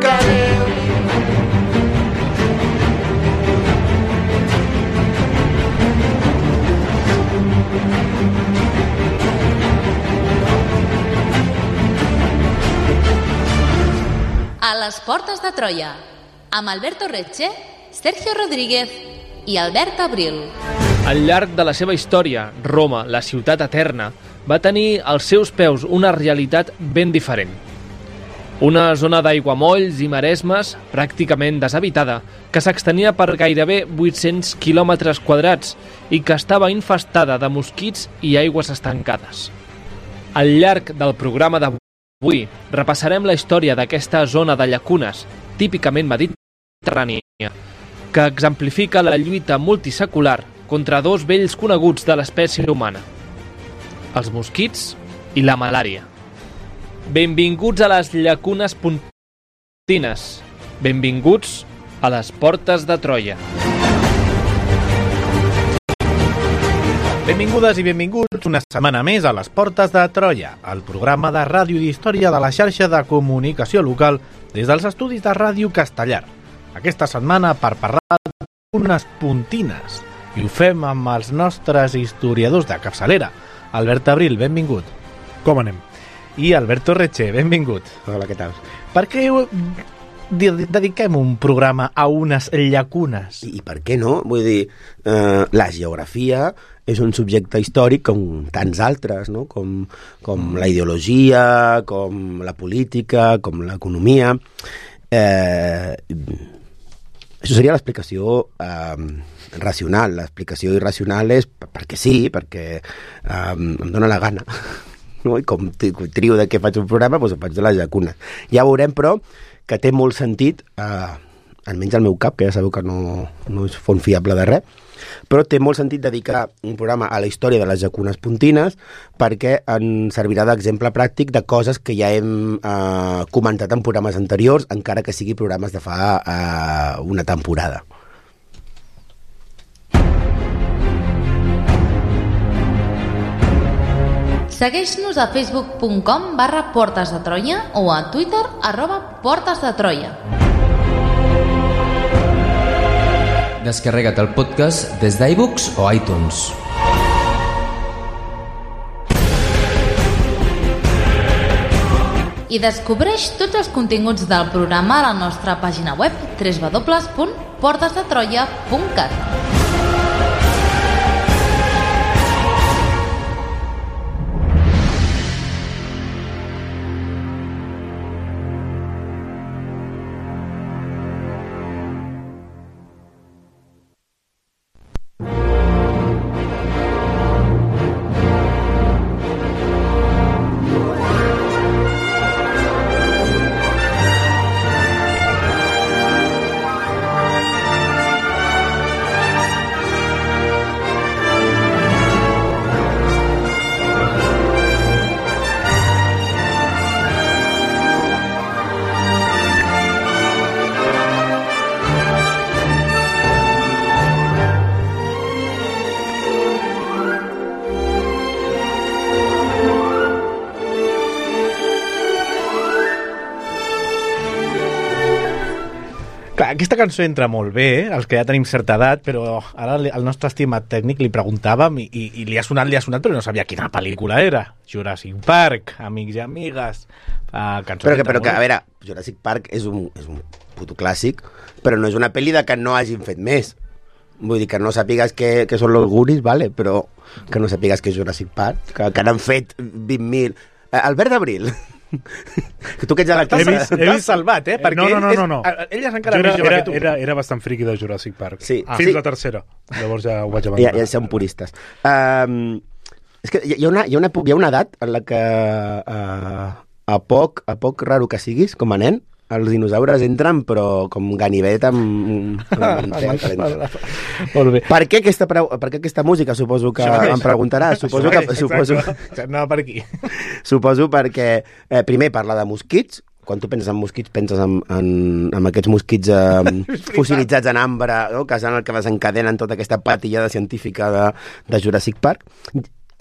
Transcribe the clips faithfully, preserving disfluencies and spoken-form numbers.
explicaré. A les portes de Troia, amb Alberto Recce, Sergio Rodríguez i Albert Abril. Al llarg de la seva història, Roma, la ciutat eterna, va tenir als seus peus una realitat ben diferent. Una zona d'aiguamolls i maresmes pràcticament deshabitada, que s'extenia per gairebé vuit-cents quilòmetres quadrats i que estava infestada de mosquits i aigües estancades. Al llarg del programa d'avui, Avui repassarem la història d'aquesta zona de llacunes, típicament mediterrània, que exemplifica la lluita multisecular contra dos vells coneguts de l'espècie humana, els mosquits i la malària. Benvinguts a les llacunes pontines. Benvinguts a les portes de Troia. Benvingudes i benvinguts una setmana més a les Portes de Troia, el programa de ràdio i d'història de la xarxa de comunicació local des dels estudis de Ràdio Castellar. Aquesta setmana per parlar d'unes puntines. I ho fem amb els nostres historiadors de capçalera. Albert Abril, benvingut. Com anem? I Alberto Recce, benvingut. Hola, què tal? Per què dediquem un programa a unes llacunes? I, i per què no? Vull dir, eh, la geografia és un subjecte històric com tants altres, no? Com, com la ideologia, com la política, com l'economia. Eh, això seria l'explicació eh, racional. L'explicació irracional és perquè sí, perquè eh, em dóna la gana. No? I com trio de què faig un programa, doncs ho faig de les llacunes. Ja veurem, però, que té molt sentit, eh, almenys al meu cap, que ja sabeu que no, no és font fiable de res, però té molt sentit dedicar un programa a la història de les llacunes pontines perquè ens servirà d'exemple pràctic de coses que ja hem eh, comentat en programes anteriors, encara que sigui programes de fa eh, una temporada. Segueix-nos a facebook punt com barra portes de Troia o a Twitter arroba portes de Troia. Descarrega't el podcast des d'iBooks o iTunes. I descobreix tots els continguts del programa a la nostra pàgina web w w w punt portes de troia punt cat. Clar, aquesta cançó entra molt bé, eh? Els que ja tenim certa edat, però ara el nostre estimat tècnic li preguntàvem i, i, i li ha sonat, li ha sonat, però no sabia quina pel·lícula era. Jurassic Park, amics i amigues. Uh, però que, però que, a veure, Jurassic Park és un, és un puto clàssic, però no és una pel·li de que no hagin fet més. Vull dir, que no sàpigues que, que són los Goonies, vale? Però que no sàpigues que és Jurassic Park, que, que n'han fet vint mil... Uh, Albert Abril... que tu que ets de la classe... He vist, he vist salvat, eh? Perquè no, no, no, no, no. Ell és encara era, més jove era, que tu. Era, era bastant friqui de Jurassic Park. Sí. Ah, fins sí. la tercera. Llavors ja ho vaig abandonar. Ja, ja som puristes. Um, és que hi ha, una, hi, ha una, hi ha una edat en la que uh, a poc, a poc raro que siguis, com a nen, els dinosaures entren, però com ganivet amb... amb Molt bé. Per què aquesta, pre... per què aquesta música? Suposo que em preguntaràs. Suposo que... Suposo... Anava per aquí. Suposo perquè, eh, primer, parla de mosquits. Quan tu penses en mosquits, penses en, en, en aquests mosquits eh, fossilitzats en ambre, no? Que són el que desencadenen tota aquesta patillada científica de, de Jurassic Park.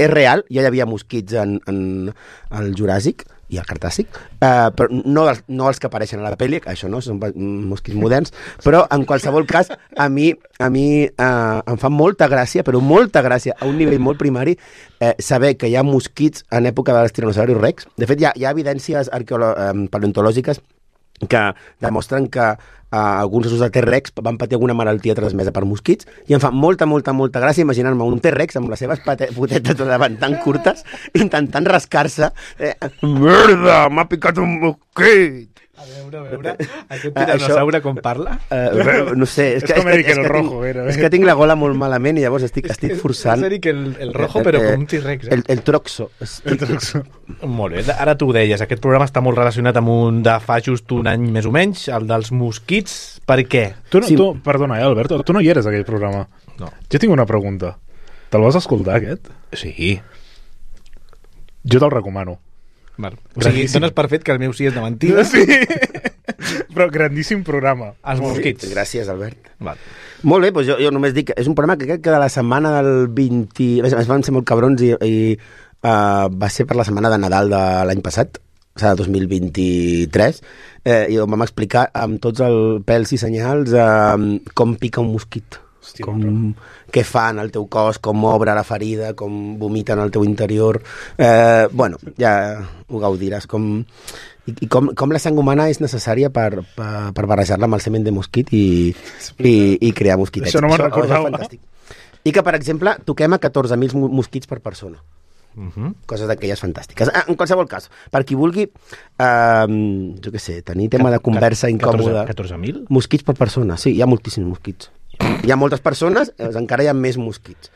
És real, ja hi havia mosquits en, en el Juràssic, i el Cretaci, uh, però no els, no els que apareixen a la pel·li, això no, són mosquits moderns, però en qualsevol cas, a mi, a mi uh, em fa molta gràcia, però molta gràcia, a un nivell molt primari, eh, saber que hi ha mosquits en època dels tiranosaurus rex. De fet, hi ha, hi ha evidències arqueolo- eh, paleontològiques que demostren que uh, alguns ossos de T-Rex van patir alguna malaltia transmesa per mosquits, i em fa molta, molta, molta gràcia imaginar-me un T-Rex amb les seves pate- potetes de davant tan curtes, intentant rascar-se. Eh, merda, m'ha picat un mosquit! A veure, a veure, aquest tiranosaure com parla? Uh, no sé, és, És que, com és, Eric que, és, el que Rojo, tinc, era. és que tinc la gola molt malament i llavors estic, estic forçant. És Eric el, el rojo, però com un T-Rex. Eh? El, el troxo. El troxo. Molt bé, ara tu ho deies, aquest programa està molt relacionat amb un de fa just un any més o menys, el dels mosquits. Per què? Tu, no, Sí. tu, perdona, eh, Albert, tu no hi eres, aquell programa. No. Jo tinc una pregunta. Te'l vas escoltar, aquest? Sí. Jo te'l recomano. Val. O sigui, dones per fet que el meu sí és de mentida. Sí. Però grandíssim programa. Els mosquits. Gràcies, Albert. Val. Molt bé, doncs jo, jo només dic que és un programa que crec que de la setmana del vint... Es van ser molt cabrons i, i uh, va ser per la setmana de Nadal de l'any passat, o sigui, dos mil vint-i-tres, eh, i vam explicar amb tots els pèls i senyals eh, com pica un mosquit. Hòstia, Com, què fa en el teu cos, com obre la ferida, com vomita en el teu interior. Eh, bueno, ja ho gaudiràs. Com, i, i com, com la sang humana és necessària per, per, per barrejar-la amb el semen de mosquit i, i, i crear mosquitets. Això no me'n Això recordava. és fantàstic. I que, per exemple, toquem a catorze mil mosquits per persona. Uh -huh. Coses d'aquelles fantàstiques. Ah, en qualsevol cas, per qui vulgui, eh, jo què sé, tenir tema de conversa incòmoda... catorze mil? Mosquits per persona, sí, hi ha moltíssims mosquits. Hi ha moltes persones, doncs encara hi ha més mosquits.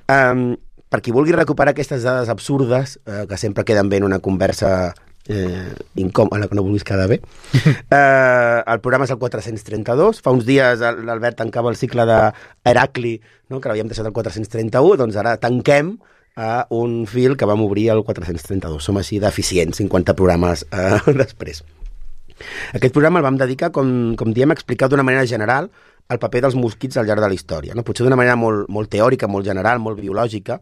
Um, per qui vulgui recuperar aquestes dades absurdes, eh, que sempre queden bé en una conversa eh, incòmoda, en la que no vulguis quedar bé, eh, el programa és el quatre-cents trenta-dos. Fa uns dies l'Albert tancava el cicle d'Heracli, no?, que l'havíem deixat el quatre-cents trenta-u, doncs ara tanquem a un fil que vam obrir el quatre-cents trenta-dos. Som així d'eficients, cinquanta programes eh, després. Aquest programa el vam dedicar, com, com diem, a explicar d'una manera general el paper dels mosquits al llarg de la història. No? Potser d'una manera molt, molt teòrica, molt general, molt biològica,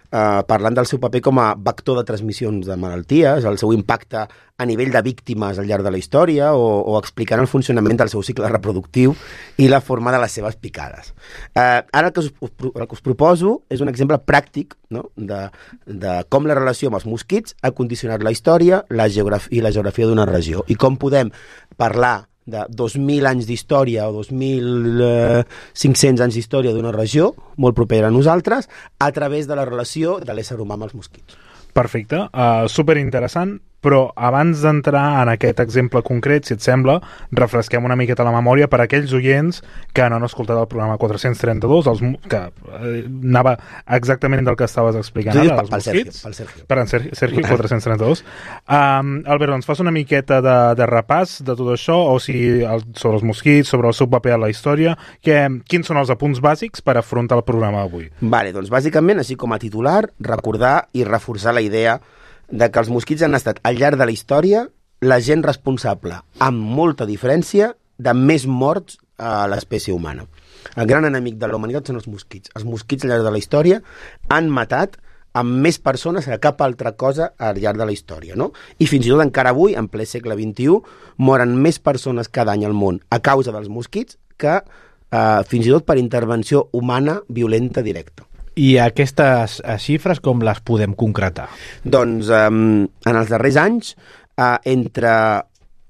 eh, parlant del seu paper com a vector de transmissions de malalties, el seu impacte a nivell de víctimes al llarg de la història, o, o explicant el funcionament del seu cicle reproductiu i la forma de les seves picades. Eh, ara el que, us, el que us proposo és un exemple pràctic, no?, de, de com la relació amb els mosquits ha condicionat la història la geografia i la geografia d'una regió, i com podem parlar de dos mil anys d'història o dos mil cinc-cents anys d'història d'una regió molt propera a nosaltres a través de la relació de l'ésser humà amb els mosquits. Perfecte, uh, superinteressant, però abans d'entrar en aquest exemple concret, si et sembla, refresquem una miqueta la memòria per a aquells oients que no han escoltat el programa quatre-cents trenta-dos, els, que eh, anava exactament del que estaves explicant Tu dius ara, pel, els pel Sergio, mosquits. pel Sergio. Per en Sergi, Sergi quatre-cents trenta-dos. Um, Albert, ens fas una miqueta de, de repàs de tot això, o sigui, el, sobre els mosquits, sobre el seu paper a la història, que, quins són els apunts bàsics per afrontar el programa avui? Vale, doncs bàsicament, així com a titular, recordar i reforçar la idea de que els mosquits han estat al llarg de la història la gent responsable, amb molta diferència, de més morts a l'espècie humana. El gran enemic de la humanitat són els mosquits. Els mosquits al llarg de la història han matat amb més persones que cap altra cosa al llarg de la història, no? I fins i tot encara avui, en ple segle vint-i-u, moren més persones cada any al món a causa dels mosquits que eh, fins i tot per intervenció humana violenta directa. I aquestes eh, xifres com les podem concretar? Doncs eh, en els darrers anys, eh, entre,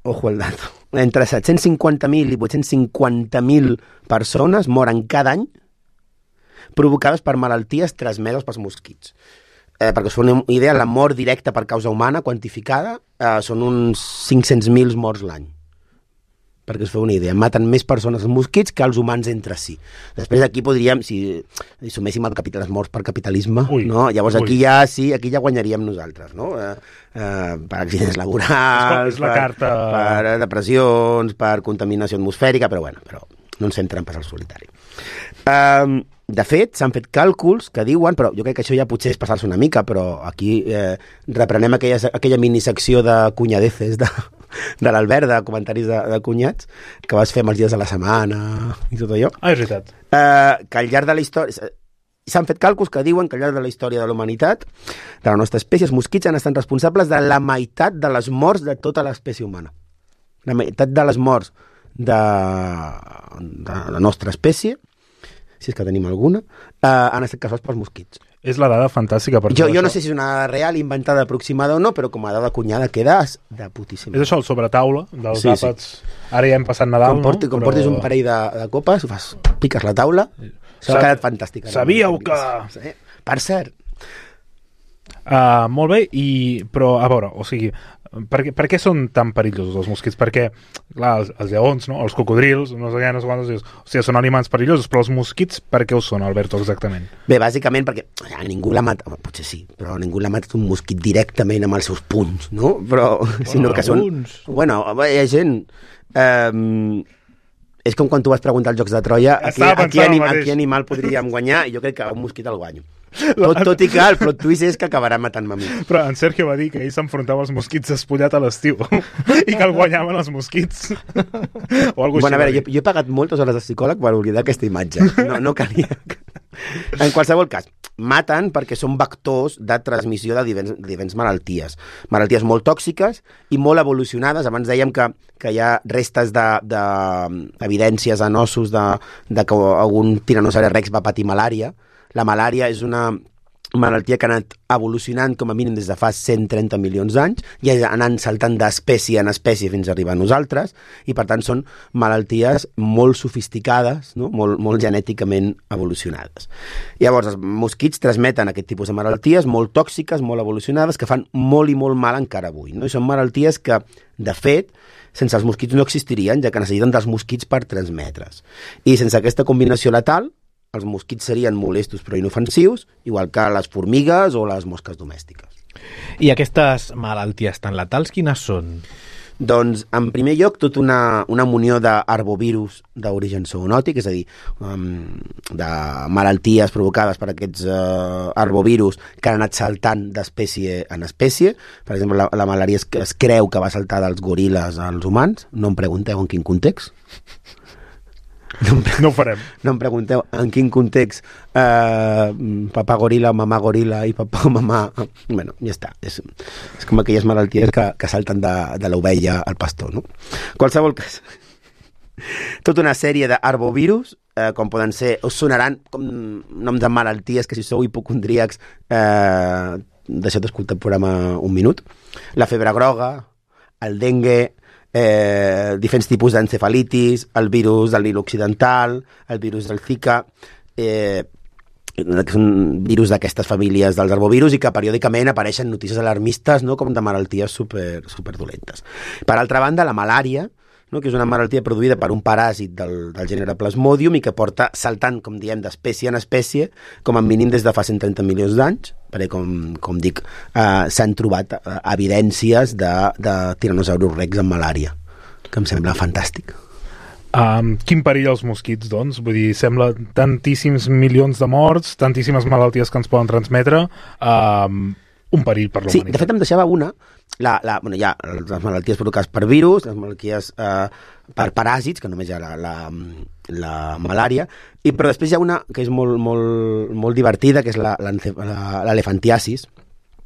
ojo el dato, entre set-cents cinquanta mil i vuit-cents cinquanta mil persones moren cada any provocades per malalties transmeses pels mosquits. Eh, perquè us fa una idea, la mort directa per causa humana quantificada eh, són uns cinc-cents mil morts l'any. Perquè us feu una idea, maten més persones els mosquits que els humans entre si. Després aquí podríem, si, si suméssim el capital, les morts per capitalisme, ui, no? Llavors ui. aquí ja sí, aquí ja guanyaríem nosaltres, no? Eh, eh, per accidents laborals, És la per, carta. per depressions, per contaminació atmosfèrica, però bueno, però no ens fem trampes al solitari. Eh, de fet, s'han fet càlculs que diuen, però jo crec que això ja potser és passar-se una mica, però aquí eh, reprenem aquella, aquella minisecció de cunyadeces de, de l'Albert, de comentaris de, de cunyats, que vas fer amb els dies de la setmana i tot allò. Ah, és veritat. Eh, que al llarg de la història... s'han fet càlculs que diuen que al llarg de la història de la humanitat, de la nostra espècie, els mosquits han estat responsables de la meitat de les morts de tota l'espècie humana. La meitat de les morts de, de la nostra espècie, si és que tenim alguna, eh, han estat causats pels mosquits. És la dada fantàstica. Per jo, jo no sé si és una dada real, inventada, aproximada o no, però com a dada cunyada queda de putíssima. És això, el sobretaula dels sí, àpats. Sí. Ara ja hem passat Nadal, com porti, no? Com però... portis un parell de, de copes, fas, piques la taula, s'ha Sab... quedat fantàstica. Sabíeu que... Sí. Per cert. Uh, molt bé, i... però a veure, o sigui, per què, per què són tan perillosos els mosquits? Perquè, clar, els, els lleons, no? Els cocodrils, no sé què, no sé quantos, dius, o sigui, són aliments perillosos, però els mosquits per què ho són, Alberto, exactament? Bé, bàsicament perquè ja, ningú l'ha matat, potser sí, però ningú l'ha matat un mosquit directament amb els seus punys, no? Però, bueno, sinó que són... alguns. Bueno, hi ha gent... Eh, és com quan tu vas preguntar als Jocs de Troia a qui, a, qui anim, a qui animal podríem guanyar, i jo crec que un mosquit el guanyo. Tot, tot i que el plot twist és que acabarà matant-me a mi. Però en Sergio va dir que ell s'enfrontava als mosquits despullat a l'estiu i que el guanyaven els mosquits. O algo bueno, així. A veure, jo, jo he pagat moltes hores de psicòleg per oblidar aquesta imatge. No, no calia. En qualsevol cas, maten perquè són vectors de transmissió de diferents, diferents malalties. Malalties molt tòxiques i molt evolucionades. Abans dèiem que, que hi ha restes d'evidències de, de en ossos de, de que algun tiranosaure rex va patir malària. La malària és una malaltia que ha anat evolucionant com a mínim des de fa cent trenta milions d'anys i ha anat saltant d'espècie en espècie fins a arribar a nosaltres, i per tant són malalties molt sofisticades, no? molt, molt genèticament evolucionades. Llavors els mosquits transmeten aquest tipus de malalties molt tòxiques, molt evolucionades, que fan molt i molt mal encara avui, no? I són malalties que, de fet, sense els mosquits no existirien, ja que necessiten dels mosquits per transmetre's. I sense aquesta combinació letal, els mosquits serien molestos però inofensius, igual que les formigues o les mosques domèstiques. I aquestes malalties tan letals, quines són? Doncs, en primer lloc, tota una, una munió d'arbovirus d'origen zoonòtic, és a dir, um, de malalties provocades per aquests uh, arbovirus que han anat saltant d'espècie en espècie. Per exemple, la, la malària es, es creu que va saltar dels goril·les als humans. No em pregunteu en quin context. No, no ho farem. No em pregunteu en quin context eh, papà goril·la, mamà goril·la i papà o mamà... Bueno, ja està. És, és com aquelles malalties que, que salten de, de l'ovella al pastor, no? Qualsevol cas. Tota una sèrie d'arbovirus, eh, com poden ser... Us sonaran com noms de malalties que si sou hipocondríacs eh, deixeu d'escoltar el programa un minut. La febre groga, el dengue... Eh, diferents tipus d'encefalitis, el virus del Nil Occidental, el virus del Zika, eh, que són virus d'aquestes famílies dels arbovirus i que periòdicament apareixen notícies alarmistes, no?, com de malalties super, super dolentes. Per altra banda, la malària, no?, que és una malaltia produïda per un paràsit del, del gènere Plasmodium i que porta saltant, com diem, d'espècie en espècie, com a mínim des de fa cent trenta milions d'anys, perquè, com, com dic, eh, s'han trobat eh, evidències de, de tiranosaurus rex amb malària, que em sembla fantàstic. Um, quin perill els mosquits, doncs? Vull dir, sembla tantíssims milions de morts, tantíssimes malalties que ens poden transmetre, um, un perill per l'humanitat. Sí, de fet em deixava una, la, la, bueno, hi ha les malalties provocades per virus, les malalties eh, per paràsits, que només hi ha la, la, la malària, i, però després hi ha una que és molt, molt, molt divertida, que és l'elefantiasis,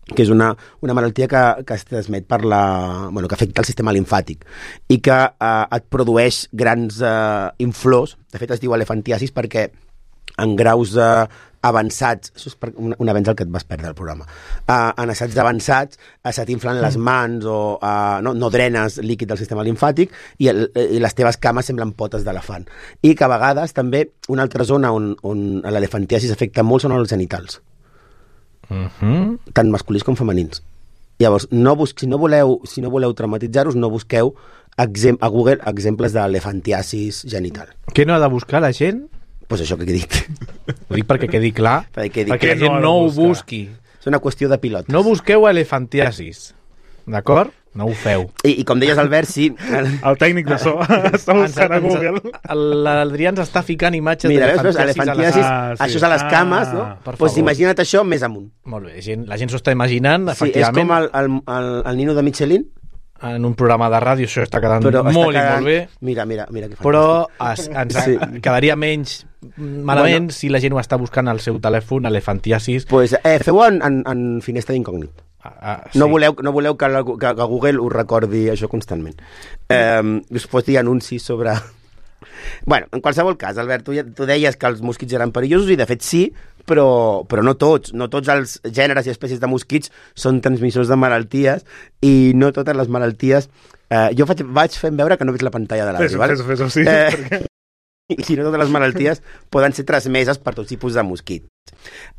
que és una, una malaltia que, que es transmet per la... Bueno, que afecta el sistema limfàtic i que eh, et produeix grans eh, inflors. De fet, es diu elefantiasis perquè en graus eh, avançats, això és per un, un avenç al que et vas perdre el programa, uh, en assaigs avançats uh, se t'inflen les mans o uh, no, no drenes líquid del sistema limfàtic i, el, i les teves cames semblen potes d'elefant. I que a vegades també una altra zona on, on l'elefantiasis afecta molt són els genitals. Uh-huh. Tant masculins com femenins. Llavors, no bus si, no voleu, si no voleu traumatitzar-vos, no busqueu exem a Google exemples d'elefantiasis genital. Què no ha de buscar la gent? Doncs pues això que he dit. Ho dic perquè quedi clar, perquè, perquè la gent no, no ho busqui. És una qüestió de pilotes. No busqueu elefantiasis, d'acord? No ho feu. I, i com deies, Albert, sí... El, el tècnic de so està buscant a Google. L'Adrià ens està ficant imatges d'elefantiasis. d'elefantiasis. Ah, sí. Això és a les cames, ah, no? Doncs pues imagina't això més amunt. Molt bé, gent, la gent s'ho està imaginant, sí, efectivament. És com el, el, el, el nino de Michelin. En un programa de ràdio això està quedant però molt està quedant... i molt bé. Mira, mira, mira que però es, ens sí. quedaria menys malament bueno, si la gent ho està buscant al seu telèfon, elefantiasis. Pues, eh, feu-ho en, en, en finestra d'incògnit. Ah, ah, sí. No voleu, no voleu que, la, que, que Google us recordi això constantment. Eh, us posi anuncis sobre... Bueno, en qualsevol cas, Albert, tu, tu deies que els mosquits eren perillosos i de fet sí, però, però no tots. No tots els gèneres i espècies de mosquits són transmissors de malalties i no totes les malalties... Eh, jo faig, vaig fent veure que no veig la pantalla de l'àudio. Fes-ho, fes-ho, sí. Eh, perquè... I no totes les malalties poden ser transmeses per tots tipus de mosquits.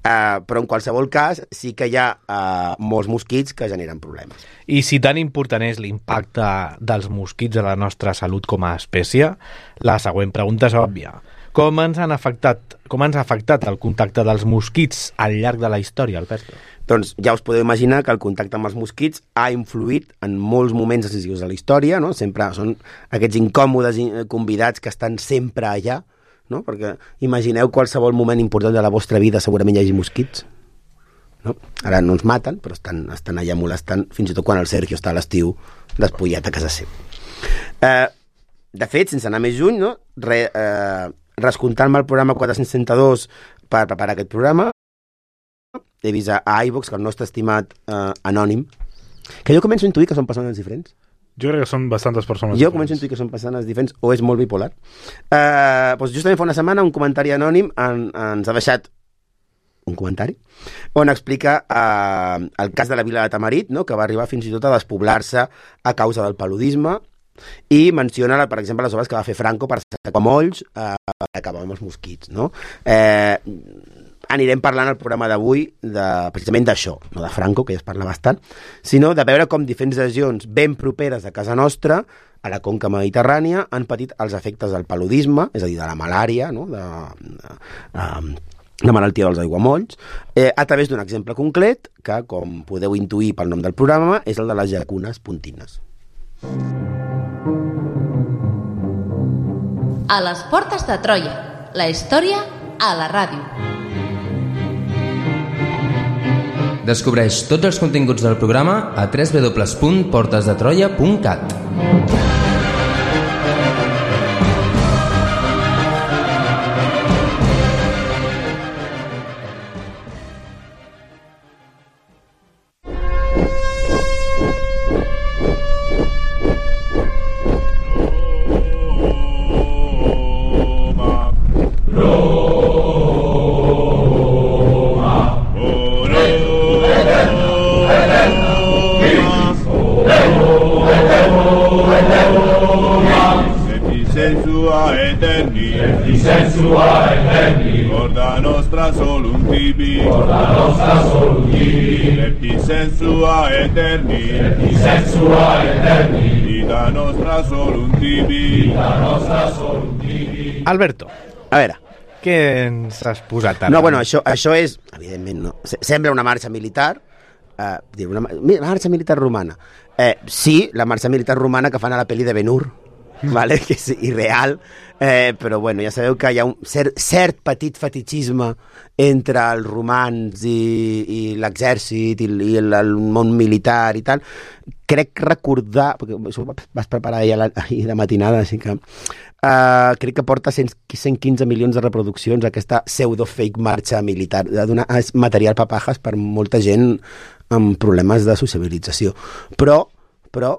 Uh, però en qualsevol cas sí que hi ha uh, molts mosquits que generen problemes. I si tan important és l'impacte dels mosquits a la nostra salut com a espècie, la següent pregunta és òbvia. Com ens han afectat, com ens ha afectat el contacte dels mosquits al llarg de la història, Alberto? Doncs ja us podeu imaginar que el contacte amb els mosquits ha influït en molts moments decisius de la història, no? Sempre són aquests incòmodes convidats que estan sempre allà, no? Perquè imagineu qualsevol moment important de la vostra vida, segurament hi hagi mosquits, no? Ara no ens maten, però estan, estan allà molestant, fins i tot quan el Sergio està a l'estiu despullat a casa seva. Eh, de fet, sense anar més lluny, no? Re, eh, rescomptant-me el programa quatre-cents trenta-dos per preparar aquest programa, he vist a iVox que el nostre estimat eh, Anònim, que jo començo a intuir que són persones diferents. Jo crec que són bastantes persones jo diferents. començo a intuir que són persones diferents o és molt bipolar. Eh, doncs justament fa una setmana un comentari anònim en, ens ha deixat un comentari on explica eh, el cas de la vila de Tamarit, no? Que va arribar fins i tot a despoblar-se a causa del paludisme i menciona, per exemple, les obres que va fer Franco per sacar molls eh, per acabar amb els mosquits, no? Eh, anirem parlant al programa d'avui de, precisament d'això, no de Franco, que ja es parla bastant, sinó de veure com diferents regions ben properes a casa nostra, a la conca mediterrània, han patit els efectes del paludisme, és a dir, de la malària, no? de, de, de la malaltia dels aiguamolls, eh, a través d'un exemple concret, que, com podeu intuir pel nom del programa, és el de les llacunes pontines. A les portes de Troia, la història a la ràdio. Descobreix tots els continguts del programa a w w w punt portes de troia punt cat. Porta nostra solum tibi, porta nostra solum tibi, et sensua eterni, et sensua eterni, vita nostra solum tibi, vita nostra solum tibi. Alberto, a veure, què ens has posat ara? No, bueno, això, això és, evidentment, no. Sembla una marxa militar, eh, una, una marxa militar romana. Eh, sí, la marxa militar romana que fan a la pel·li de Ben-Hur, vale? Que és irreal, eh, però bueno, ja sabeu que hi ha un cert, cert petit fetichisme entre els romans i, i l'exèrcit i, i el, el món militar i tal. Crec recordar, perquè això ho vas preparar ahir, ahir de matinada, així que uh, crec que porta cent quinze milions de reproduccions aquesta pseudo-fake marxa militar. Donar material papajas per molta gent amb problemes de sociabilització. Però, però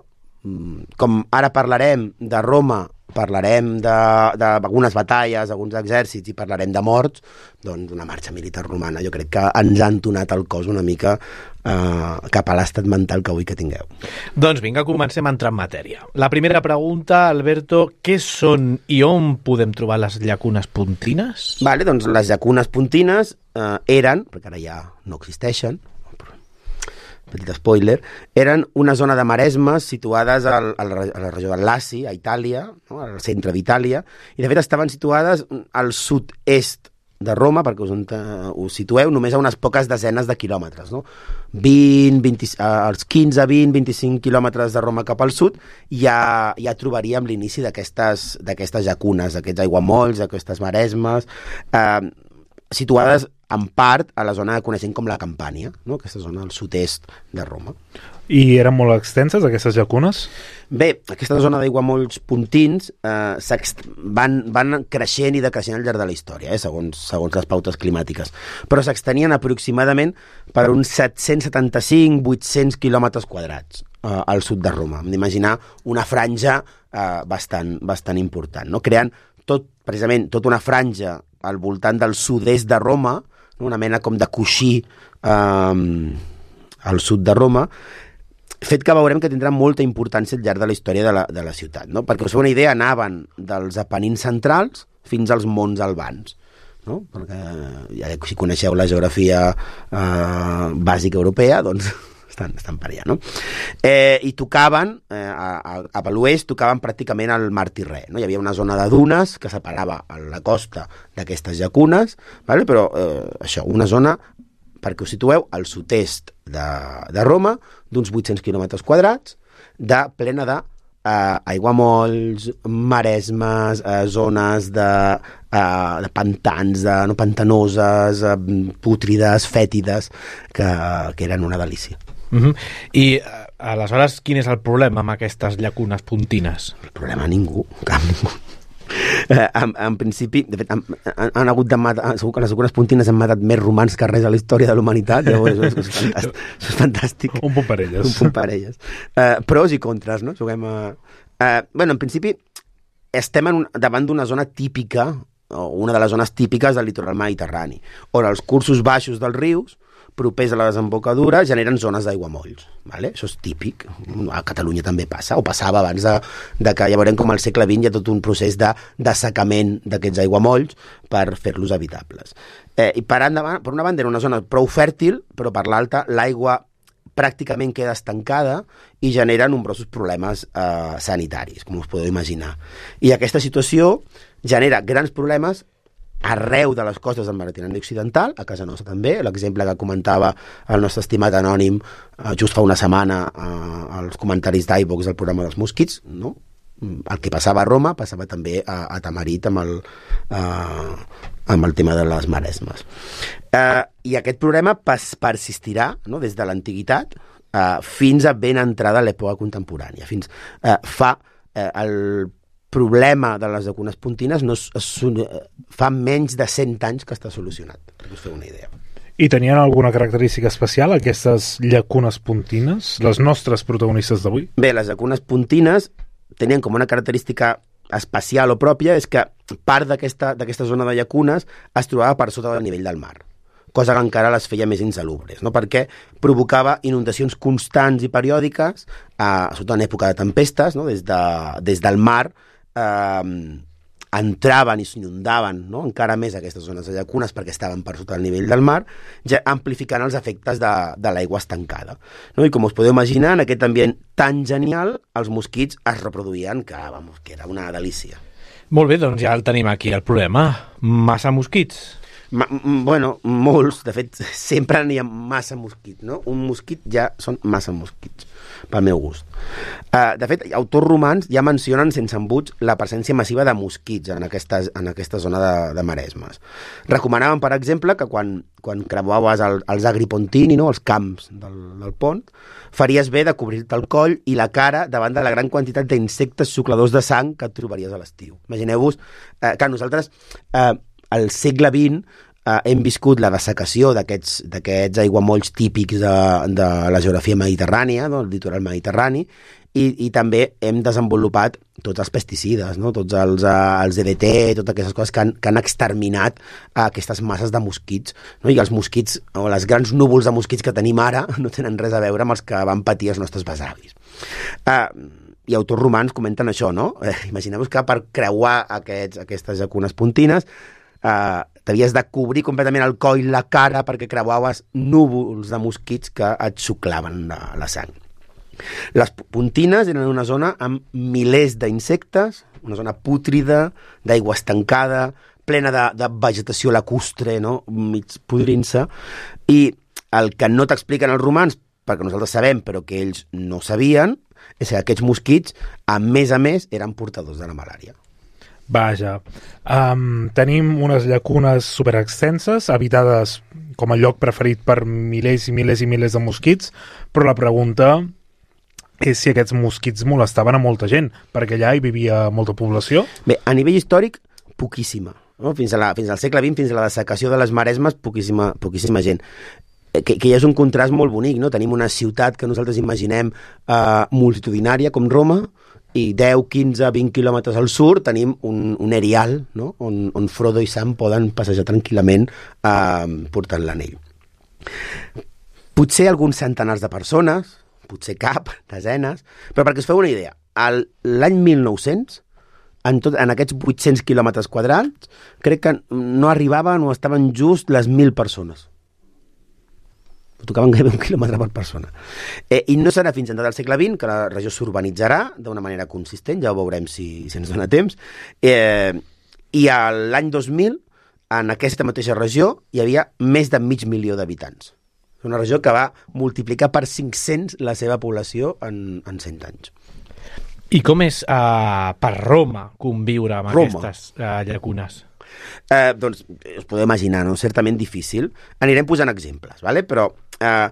com ara parlarem de Roma, parlarem d'algunes batalles, alguns exèrcits i parlarem de morts, doncs una marxa militar romana jo crec que ens ha entonat el cos una mica eh, cap a l'estat mental que vull que tingueu. Doncs vinga, comencem a entrar en matèria. La primera pregunta, Alberto, què són i on podem trobar les llacunes pontines? Vale, doncs les llacunes pontines eh, eren, perquè ara ja no existeixen, petit spoiler, eren una zona de maresmes situades al, a, la, a la regió del Laci, a Itàlia, no? Al centre d'Itàlia, i de fet estaven situades al sud-est de Roma, perquè us, us situeu només a unes poques desenes de quilòmetres, no? vint, vint, als quinze, vint, vint-i-cinc quilòmetres de Roma cap al sud ja, ja trobaríem l'inici d'aquestes d'aquestes llacunes, aquests aiguamolls, aquestes maresmes, eh, situades en part a la zona que coneixem com la Campània, no? Aquesta zona al sud-est de Roma. I eren molt extenses, aquestes llacunes? Bé, aquesta zona d'aiguamolls puntins eh, van, van creixent i decreixent al llarg de la història, eh, segons, segons les pautes climàtiques, però s'extenien aproximadament per uns set-cents setanta-cinc a vuit-cents quilòmetres quadrats eh, al sud de Roma. Hem d'imaginar una franja eh, bastant, bastant important, no? Creant tot, precisament tota una franja al voltant del sud-est de Roma, no? Una mena com de coixí eh, al sud de Roma, fet que veurem que tindrà molta importància al llarg de la història de la, de la ciutat, no? Perquè us feu una idea, anaven dels Apenins centrals fins als Monts Albans, no? Perquè ja si coneixeu la geografia eh, bàsica europea, doncs estan, estan per allà, no? Eh, I tocaven, eh, a, a, a l'oest, tocaven pràcticament al mar Tirrè, no? Hi havia una zona de dunes que separava la costa d'aquestes llacunes, vale? Però eh, això, una zona, perquè us situeu, al sud-est de, de Roma, d'uns vuit-cents quilòmetres quadrats, de, plena de eh, aiguamolls, maresmes, eh, zones de, eh, de pantans, de, no, pantanoses, eh, pútrides, fètides, que, que eren una delícia. Uh-huh. I eh, aleshores, quin és el problema amb aquestes llacunes puntines? El problema ningú, cap ningú. Eh, en, en principi, de fet, han, han, han hagut de matar, segur que les algunes puntines han matat més romans que res a la història de la humanitat, llavors és, és, fantàstic, és fantàstic. Un punt per elles. Un punt per elles. Eh, pros i contres, no? Juguem a... Eh, bueno, en principi, estem en un, davant d'una zona típica, o una de les zones típiques del litoral mediterrani, on els cursos baixos dels rius, propers a la desembocadura, generen zones d'aiguamolls. Vale? Això és típic. A Catalunya també passa, o passava abans de, de que ja veurem com al segle vint hi ha tot un procés de dessecament d'aquests aiguamolls per fer-los habitables. Eh, I per, endavant, per una banda era una zona prou fèrtil, però per l'altra l'aigua pràcticament queda estancada i genera nombrosos problemes eh, sanitaris, com us podeu imaginar. I aquesta situació genera grans problemes arreu de les costes del Mediterrani occidental, a casa nostra també, l'exemple que comentava el nostre estimat anònim eh, just fa una setmana eh, als comentaris d'iVox del programa dels mosquits, no? El que passava a Roma passava també a, a Tamarit amb el, eh, amb el tema de les maresmes. Eh, I aquest problema pas, persistirà, no? Des de l'antiguitat eh, fins a ben entrada l'època contemporània, fins eh, fa eh, el problema de les llacunes puntines no es, es, fa menys de cent anys que està solucionat, perquè us feu una idea. I tenien alguna característica especial aquestes llacunes puntines, les nostres protagonistes d'avui? Bé, les llacunes puntines tenien com una característica especial o pròpia, és que part d'aquesta d'aquesta zona de llacunes es trobava per sota del nivell del mar, cosa que encara les feia més insalubres, no? Perquè provocava inundacions constants i periòdiques, eh, sobretot en època de tempestes, no? Des, de, des del mar eh, entraven i s'inundaven, no? Encara més aquestes zones de llacunes perquè estaven per sota del nivell del mar, ja amplificant els efectes de, de l'aigua estancada, no? I com us podeu imaginar, en aquest ambient tan genial, els mosquits es reproduïen, que, vamos, que era una delícia. Molt bé, doncs ja el tenim aquí, el problema. Massa mosquits. Ma, bueno, molts, de fet, sempre n'hi ha massa mosquits, no? Un mosquit ja són massa mosquits, pel meu gust. Uh, de fet, autors romans ja mencionen sense embuts la presència massiva de mosquits en aquesta, en aquesta zona de, de maresmes. Recomanaven, per exemple, que quan, quan creuaves el, els agripontini, no? Els camps del, del pont, faries bé de cobrir-te el coll i la cara davant de la gran quantitat d'insectes sucladors de sang que et trobaries a l'estiu. Imagineu-vos uh, que nosaltres... Uh, al segle vint eh, hem viscut la dessecació d'aquests d'aquests aiguamolls típics de, de la geografia mediterrània, no? El litoral mediterrani, i, i també hem desenvolupat tots els pesticides, no? Tots els, uh, els D D T, totes aquestes coses que han, que han exterminat uh, aquestes masses de mosquits, no? I els mosquits, o les grans núvols de mosquits que tenim ara, no tenen res a veure amb els que van patir els nostres besavis. Uh, I autors romans comenten això, no? Eh, Imagineu-vos que per creuar aquests, aquestes llacunes puntines Uh, t'havies de cobrir completament el coll, la cara, perquè creuaves núvols de mosquits que et xuclaven la, la sang. Les puntines eren una zona amb milers d'insectes, una zona pútrida, d'aigua estancada, plena de, de vegetació lacustre, no? Mig podrint-se, i el que no t'expliquen els romans, perquè nosaltres sabem però que ells no sabien, és que aquests mosquits, a més a més, eren portadors de la malària. Vaja. Um, tenim unes llacunes superextenses, habitades com a lloc preferit per milers i milers i milers de mosquits, però la pregunta és si aquests mosquits molestaven a molta gent, perquè allà hi vivia molta població. Bé, a nivell històric, poquíssima. No? Fins, a la, fins al segle vint, fins a la dessecació de les Maresmes, poquíssima, poquíssima gent. Que, que ja és un contrast molt bonic, no? Tenim una ciutat que nosaltres imaginem eh, multitudinària, com Roma, i deu, quinze, vint quilòmetres al sud tenim un, un erial, no? on, on Frodo i Sam poden passejar tranquil·lament eh, portant l'anell. Potser alguns centenars de persones, potser cap, desenes, però perquè us feu una idea, el, l'any mil nou-cents, en, tot, en aquests vuit-cents quilòmetres quadrats, crec que no arribaven o estaven just les mil persones. Tocaven gairebé un quilòmetre per persona. Eh, I no serà fins entrada al segle vint que la regió s'urbanitzarà d'una manera consistent, ja ho veurem si, si ens dona temps. Eh, I a l'any dos mil, en aquesta mateixa regió, hi havia més de mig milió d'habitants. Una regió que va multiplicar per cinc-cents la seva població en, en cent anys. I com és uh, per Roma conviure amb Roma. aquestes uh, llacunes? Eh, doncs us podeu imaginar, no? Certament difícil. Anirem posant exemples, ¿vale? Però eh,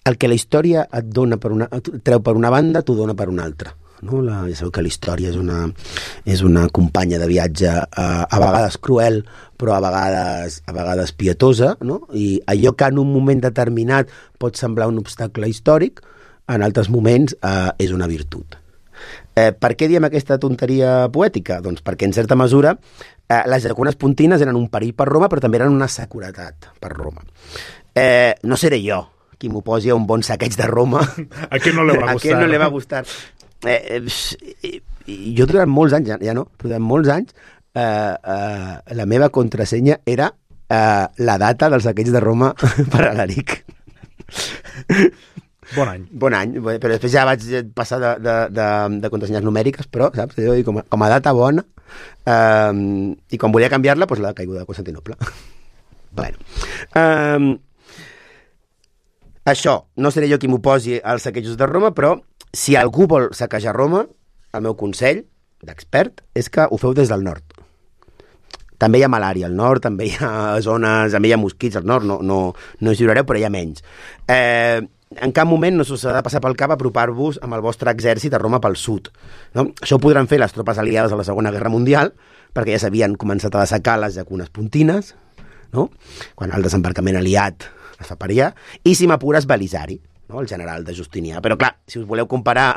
el que la història et dona per una, et treu per una banda, t'ho dona per una altra. No? La, ja sabeu que la història és una, és una companya de viatge eh, a vegades cruel, però a vegades, a vegades pietosa, no? I allò que en un moment determinat pot semblar un obstacle històric, en altres moments eh, és una virtut. Eh, per què diem aquesta tonteria poètica? Doncs perquè, en certa mesura, eh, les llacunes pontines eren un perill per Roma, però també eren una seguretat per Roma. Eh, no seré jo qui m'oposi a un bon saqueig de Roma. A qui no li va gustar? A qui no li va gustar? Eh, eh, jo durant molts anys, ja, ja no, durant molts anys, eh, eh, la meva contrasenya era eh, la data del saqueig de Roma per Alaric. Bon any. Bon any, però després ja vaig passar de, de, de, de contrasenyes numèriques, però, saps, com a, com a data bona, eh, i quan volia canviar-la, doncs la caiguda de Constantinople. Bueno. Eh, això, no seré jo qui m'oposi als saquejos de Roma, però si algú vol saquejar Roma, el meu consell d'expert és que ho feu des del nord. També hi ha malària al nord, també hi ha zones, també hi ha mosquits al nord, no, no, no us lliurareu, però hi ha menys. Eh, en cap moment no s'us ha de passar pel cap apropar-vos amb el vostre exèrcit a Roma pel sud. No? Això ho podran fer les tropes aliades a la Segona Guerra Mundial, perquè ja s'havien començat a dessecar les llacunes pontines, no? Quan el desembarcament aliat es fa per allà, i si m'apures Belisari, no? El general de Justinià. Però clar, si us voleu comparar,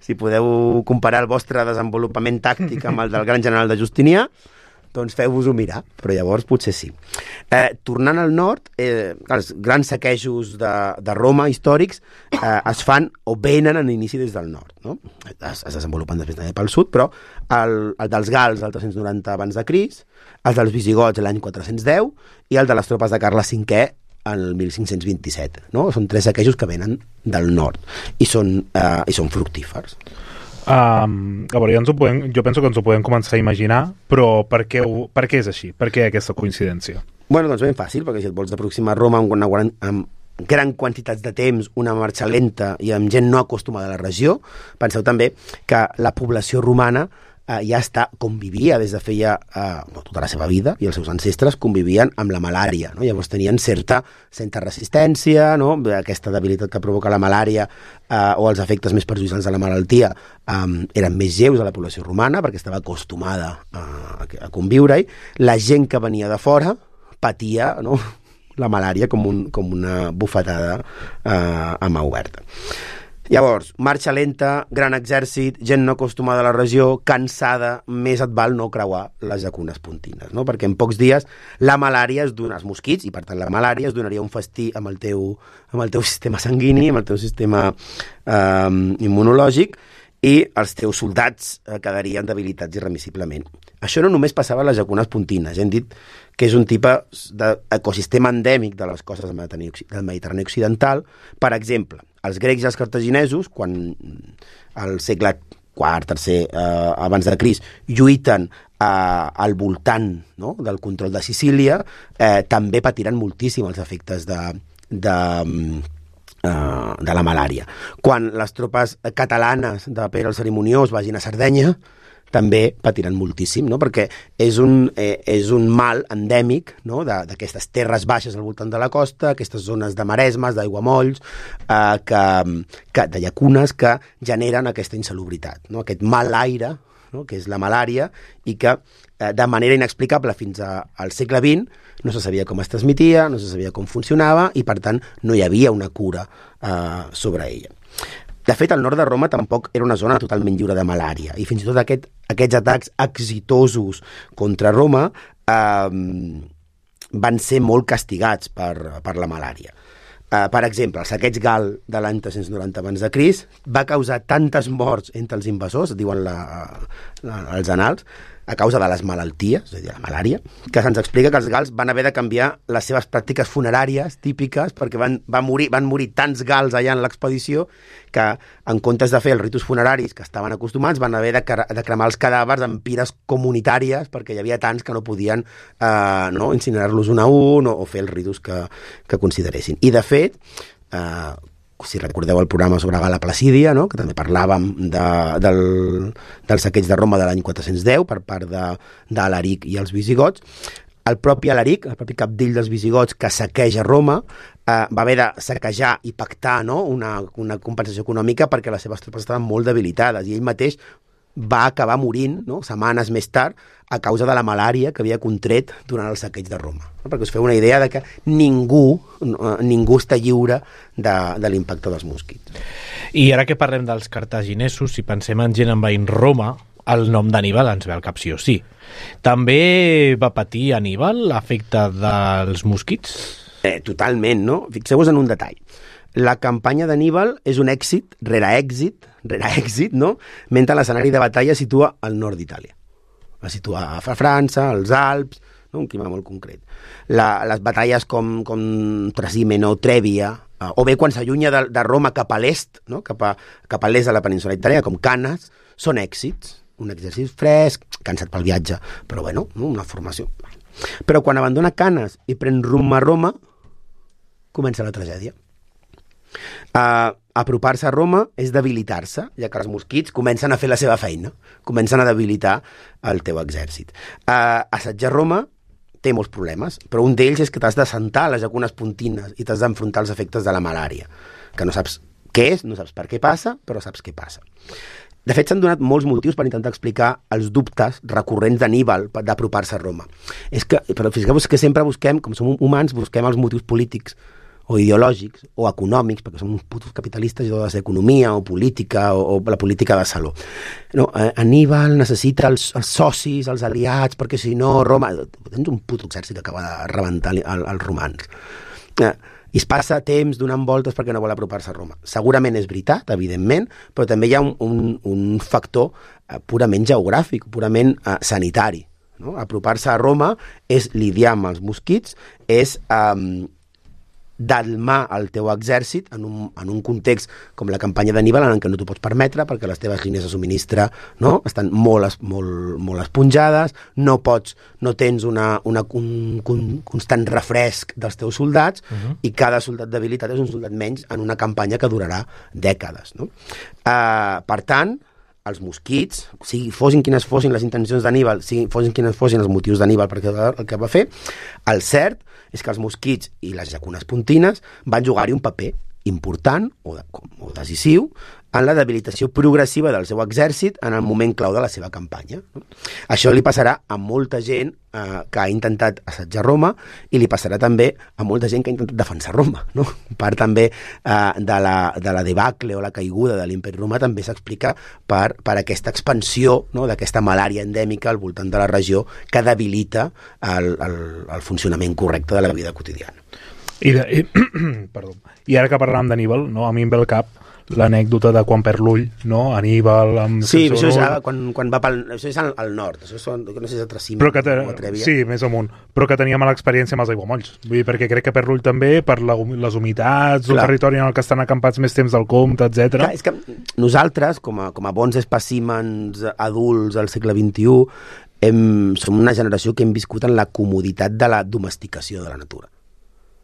si podeu comparar el vostre desenvolupament tàctic amb el del gran general de Justinià, doncs feu-vos-ho mirar, però llavors potser sí. Eh, tornant al nord, eh, els grans saquejos de, de Roma històrics eh, es fan o venen en inici des del nord, no? Es, es desenvolupen després també pel sud, però el, el dels gals el tres-cents noranta abans de Crist, el dels visigots l'any quatre-cents deu i el de les tropes de Carles cinquè el mil cinc-cents vint-i-set, no? Són tres saquejos que venen del nord i són, eh, i són fructífers. Um, a veure, ja ens ho podem, jo penso que ens ho podem començar a imaginar, però per què, ho, per què és així? Per què aquesta coincidència? Bueno, doncs ben fàcil, perquè si et vols aproximar a Roma amb, una, amb gran quantitats de temps, una marxa lenta i amb gent no acostumada a la regió, penseu també que la població romana eh, ja està, convivia des de feia eh, tota la seva vida, i els seus ancestres convivien amb la malària, no? Llavors tenien certa, certa resistència, no? Aquesta debilitat que provoca la malària eh, o els efectes més perjudicials de la malaltia eh, eren més lleus a la població romana perquè estava acostumada a, a conviure-hi. La gent que venia de fora patia, no? La malària com, un, com una bufetada eh, a mà oberta. Llavors, marxa lenta, gran exèrcit, gent no acostumada a la regió, cansada, més et val no creuar les llacunes pontines, no? Perquè en pocs dies la malària es dona als mosquits, i per tant la malària es donaria un festí amb el teu, amb el teu sistema sanguini, amb el teu sistema eh, immunològic, i els teus soldats eh, quedarien debilitats irremissiblement. Això no només passava a les llacunes pontines, hem dit que és un tipus d'ecosistema endèmic de les costes del Mediterrani occidental. Per exemple, els grecs i els cartaginesos, quan al segle quart, tercer, eh, abans de Crist, lluiten eh, al voltant, no?, del control de Sicília, eh, també patiran moltíssim els efectes de, de, eh, de la malària. Quan les tropes catalanes de Pere el Cerimoniós vagin a Sardenya, també patiran moltíssim, no? Perquè és un, eh, és un mal endèmic, no? D'aquestes terres baixes al voltant de la costa, aquestes zones de maresmes, d'aiguamolls, eh, que, que, de llacunes que generen aquesta insalubritat, no? Aquest mal aire, no? Que és la malària, i que eh, de manera inexplicable fins a, al segle vint no se sabia com es transmetia, no se sabia com funcionava, i per tant no hi havia una cura eh, sobre ella. De fet, el nord de Roma tampoc era una zona totalment lliure de malària, i fins i tot aquest, aquests atacs exitosos contra Roma eh, van ser molt castigats per, per la malària. Eh, per exemple, el saqueig gal de l'any tres-cents noranta abans de Crist va causar tantes morts entre els invasors, diuen la, la, els annals, a causa de les malalties, és a dir, la malària, que se'ns explica que els gals van haver de canviar les seves pràctiques funeràries típiques perquè van, van, morir, van morir tants gals allà en l'expedició que, en comptes de fer els ritus funeraris que estaven acostumats, van haver de, de cremar els cadàvers en pires comunitàries perquè hi havia tants que no podien eh, no, incinerar-los un a un o, o fer els ritus que, que consideressin. I, de fet, eh, si recordeu el programa sobre Gala Placídia, no? Que també parlàvem de, del, del saqueig de Roma de l'any quatre-cents deu per part de, d'Alaric i els visigots. El propi Alaric, el propi capdill dels visigots que saqueja Roma, eh, va haver de saquejar i pactar, no? una, una compensació econòmica perquè les seves tropes estaven molt debilitades, i ell mateix va acabar morint, no? setmanes més tard, a causa de la malària que havia contret durant el saqueig de Roma. No? Perquè us feu una idea de que ningú, ningú està lliure de, de l'impacte dels mosquits. I ara que parlem dels cartaginesos, si pensem en gent envaint Roma, el nom d'Aníbal ens ve al cap sí o sí. També va patir Aníbal l'efecte dels mosquits? Eh, totalment, no? Fixeu-vos en un detall. La campanya d'Aníbal és un èxit rere èxit, rere èxit, no? Mentre l'escenari de batalla es situa al nord d'Itàlia. Es situa a França, als Alps, no? Un clima molt concret. La, les batalles com, com Trasimeno, Trèvia, eh, o bé quan s'allunya de, de Roma cap a l'est, no? cap, a, cap a l'est de la península italiana, com Canes, són èxits. Un exercici fresc, cansat pel viatge, però bueno, una formació. Però quan abandona Canes i pren rumb a Roma, comença la tragèdia. Uh, apropar-se a Roma és debilitar-se, ja que els mosquits comencen a fer la seva feina, comencen a debilitar el teu exèrcit. Uh, assetjar Roma té molts problemes, però un d'ells és que t'has d'assentar a les llacunes pontines i t'has d'enfrontar als efectes de la malària, que no saps què és, no saps per què passa, però saps què passa. De fet, s'han donat molts motius per intentar explicar els dubtes recurrents d'Aníbal d'apropar-se a Roma. És que, però fixeu-vos que sempre busquem, com som humans, busquem els motius polítics o ideològics, o econòmics, perquè som uns putos capitalistes i tot ha de ser economia o política o, o la política de saló. No, eh, Aníbal necessita els, els socis, els aliats, perquè si no Roma... Tens un puto exèrcit que acaba de rebentar el, els romans. Eh, I es passa temps donant voltes perquè no vol apropar-se a Roma. Segurament és veritat, evidentment, però també hi ha un, un, un factor eh, purament geogràfic, purament eh, sanitari. No? Apropar-se a Roma és lidiar amb els mosquits, és... Eh, dalmar el teu exèrcit en un, en un context com la campanya d'Aníbal en què no t'ho pots permetre perquè les teves línies de subministre, no? estan molt, molt, molt esponjades, no pots, no tens una, una, un, un constant refresc dels teus soldats uh-huh. i cada soldat debilitat és un soldat menys en una campanya que durarà dècades. No? Uh, per tant, els mosquits, sigui, fossin quines fossin les intencions d'Aníbal, sigui, fossin quines fossin els motius d'Aníbal perquè el que va fer, el cert és que els mosquits i les llacunes pontines van jugar-hi un paper important o, de, o decisiu en la debilitació progressiva del seu exèrcit en el moment clau de la seva campanya. No? Això li passarà a molta gent eh, que ha intentat assetjar Roma i li passarà també a molta gent que ha intentat defensar Roma. No? Part també eh, de, la, de la debacle o la caiguda de l'imperi romà també s'explica per, per aquesta expansió, no? d'aquesta malària endèmica al voltant de la regió que debilita el, el, el funcionament correcte de la vida quotidiana. I, de, i, perdó. I ara que parlàvem d'Aníbal, no? A mi em ve al cap l'anècdota de quan perd l'ull, no? Aníbal amb... Sí, això és ara, quan, quan va pel... Això és al, al nord, això són, no sé si és a Trasimeno o a Trèvia. Sí, més amunt, però que tenia mala experiència amb els aiguamolls. Vull dir, perquè crec que perd l'ull també per la, les humitats, el territori en el que estan acampats més temps del compte, etcètera. Clar, és que nosaltres, com a, com a bons espècimens adults del segle vint-i-u, hem, som una generació que hem viscut en la comoditat de la domesticació de la natura.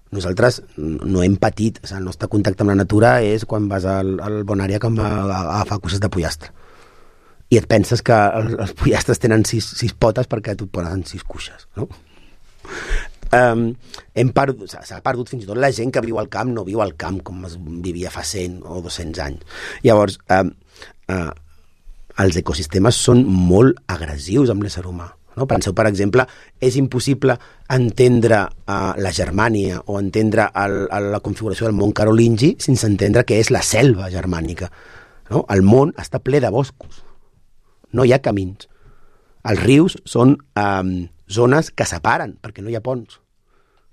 Nosaltres no hem patit, o sigui, el nostre contacte amb la natura és quan vas al, al Bonària que em va agafar coses de pollastre. i et penses que els, els pollastres tenen sis, sis potes perquè tu et posen sis cuixes, no? Um, hem perdut, s'ha perdut fins i tot la gent que viu al camp, no viu al camp com es vivia fa cent o dos-cents anys. Llavors, um, uh, els ecosistemes són molt agressius amb l'ésser humà. No? Penseu, per exemple, és impossible entendre uh, la Germània o entendre el, el, la configuració del món carolingi sense entendre què és la selva germànica. No? El món està ple de boscos. No hi ha camins. Els rius són um, zones que separen, perquè no hi ha ponts.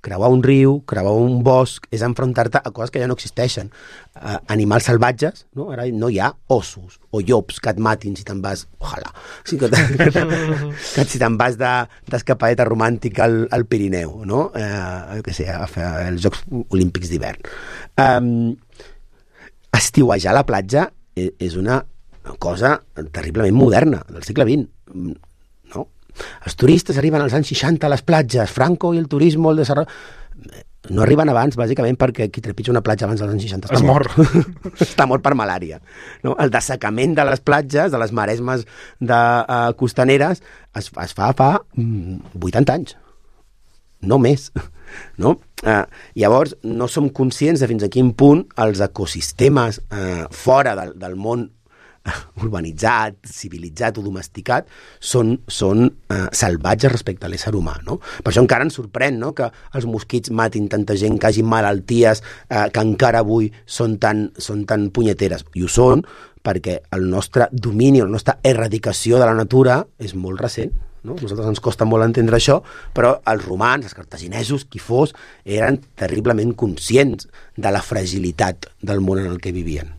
Creuar un riu, creuar un bosc, és enfrontar-te a coses que ja no existeixen. Uh, animals salvatges, no? Ara no hi ha ossos o llops que et matin si te'n vas... Ojalà. Sí, que, que, que si te'n vas d'escapadeta de, romàntica al, al Pirineu, no? Uh, que sé, a fer els Jocs Olímpics d'hivern. Um, estiuejar a la platja és una cosa terriblement moderna, del segle vint. No? Els turistes arriben als anys seixanta a les platges, Franco i el turisme, el desarrollo... No arriben abans, bàsicament, perquè qui trepitja una platja abans dels anys seixanta està es mort. mor. Està mort per malària. No? El dessecament de les platges, de les maresmes de, uh, costaneres, es, es fa fa vuitanta anys. No més. No? Uh, llavors, no som conscients de fins a quin punt els ecosistemes uh, fora del, del món urbanitzat, civilitzat o domesticat són, són uh, salvatges respecte a l'ésser humà, no? Per això encara ens sorprèn, no?, que els mosquits matin tanta gent, que hagin malalties uh, que encara avui són tan, són tan punyeteres. I ho són perquè el nostre domini, la nostra erradicació de la natura és molt recent. No? A nosaltres ens costa molt entendre això, però els romans, els cartaginesos, qui fos, eren terriblement conscients de la fragilitat del món en el que vivien.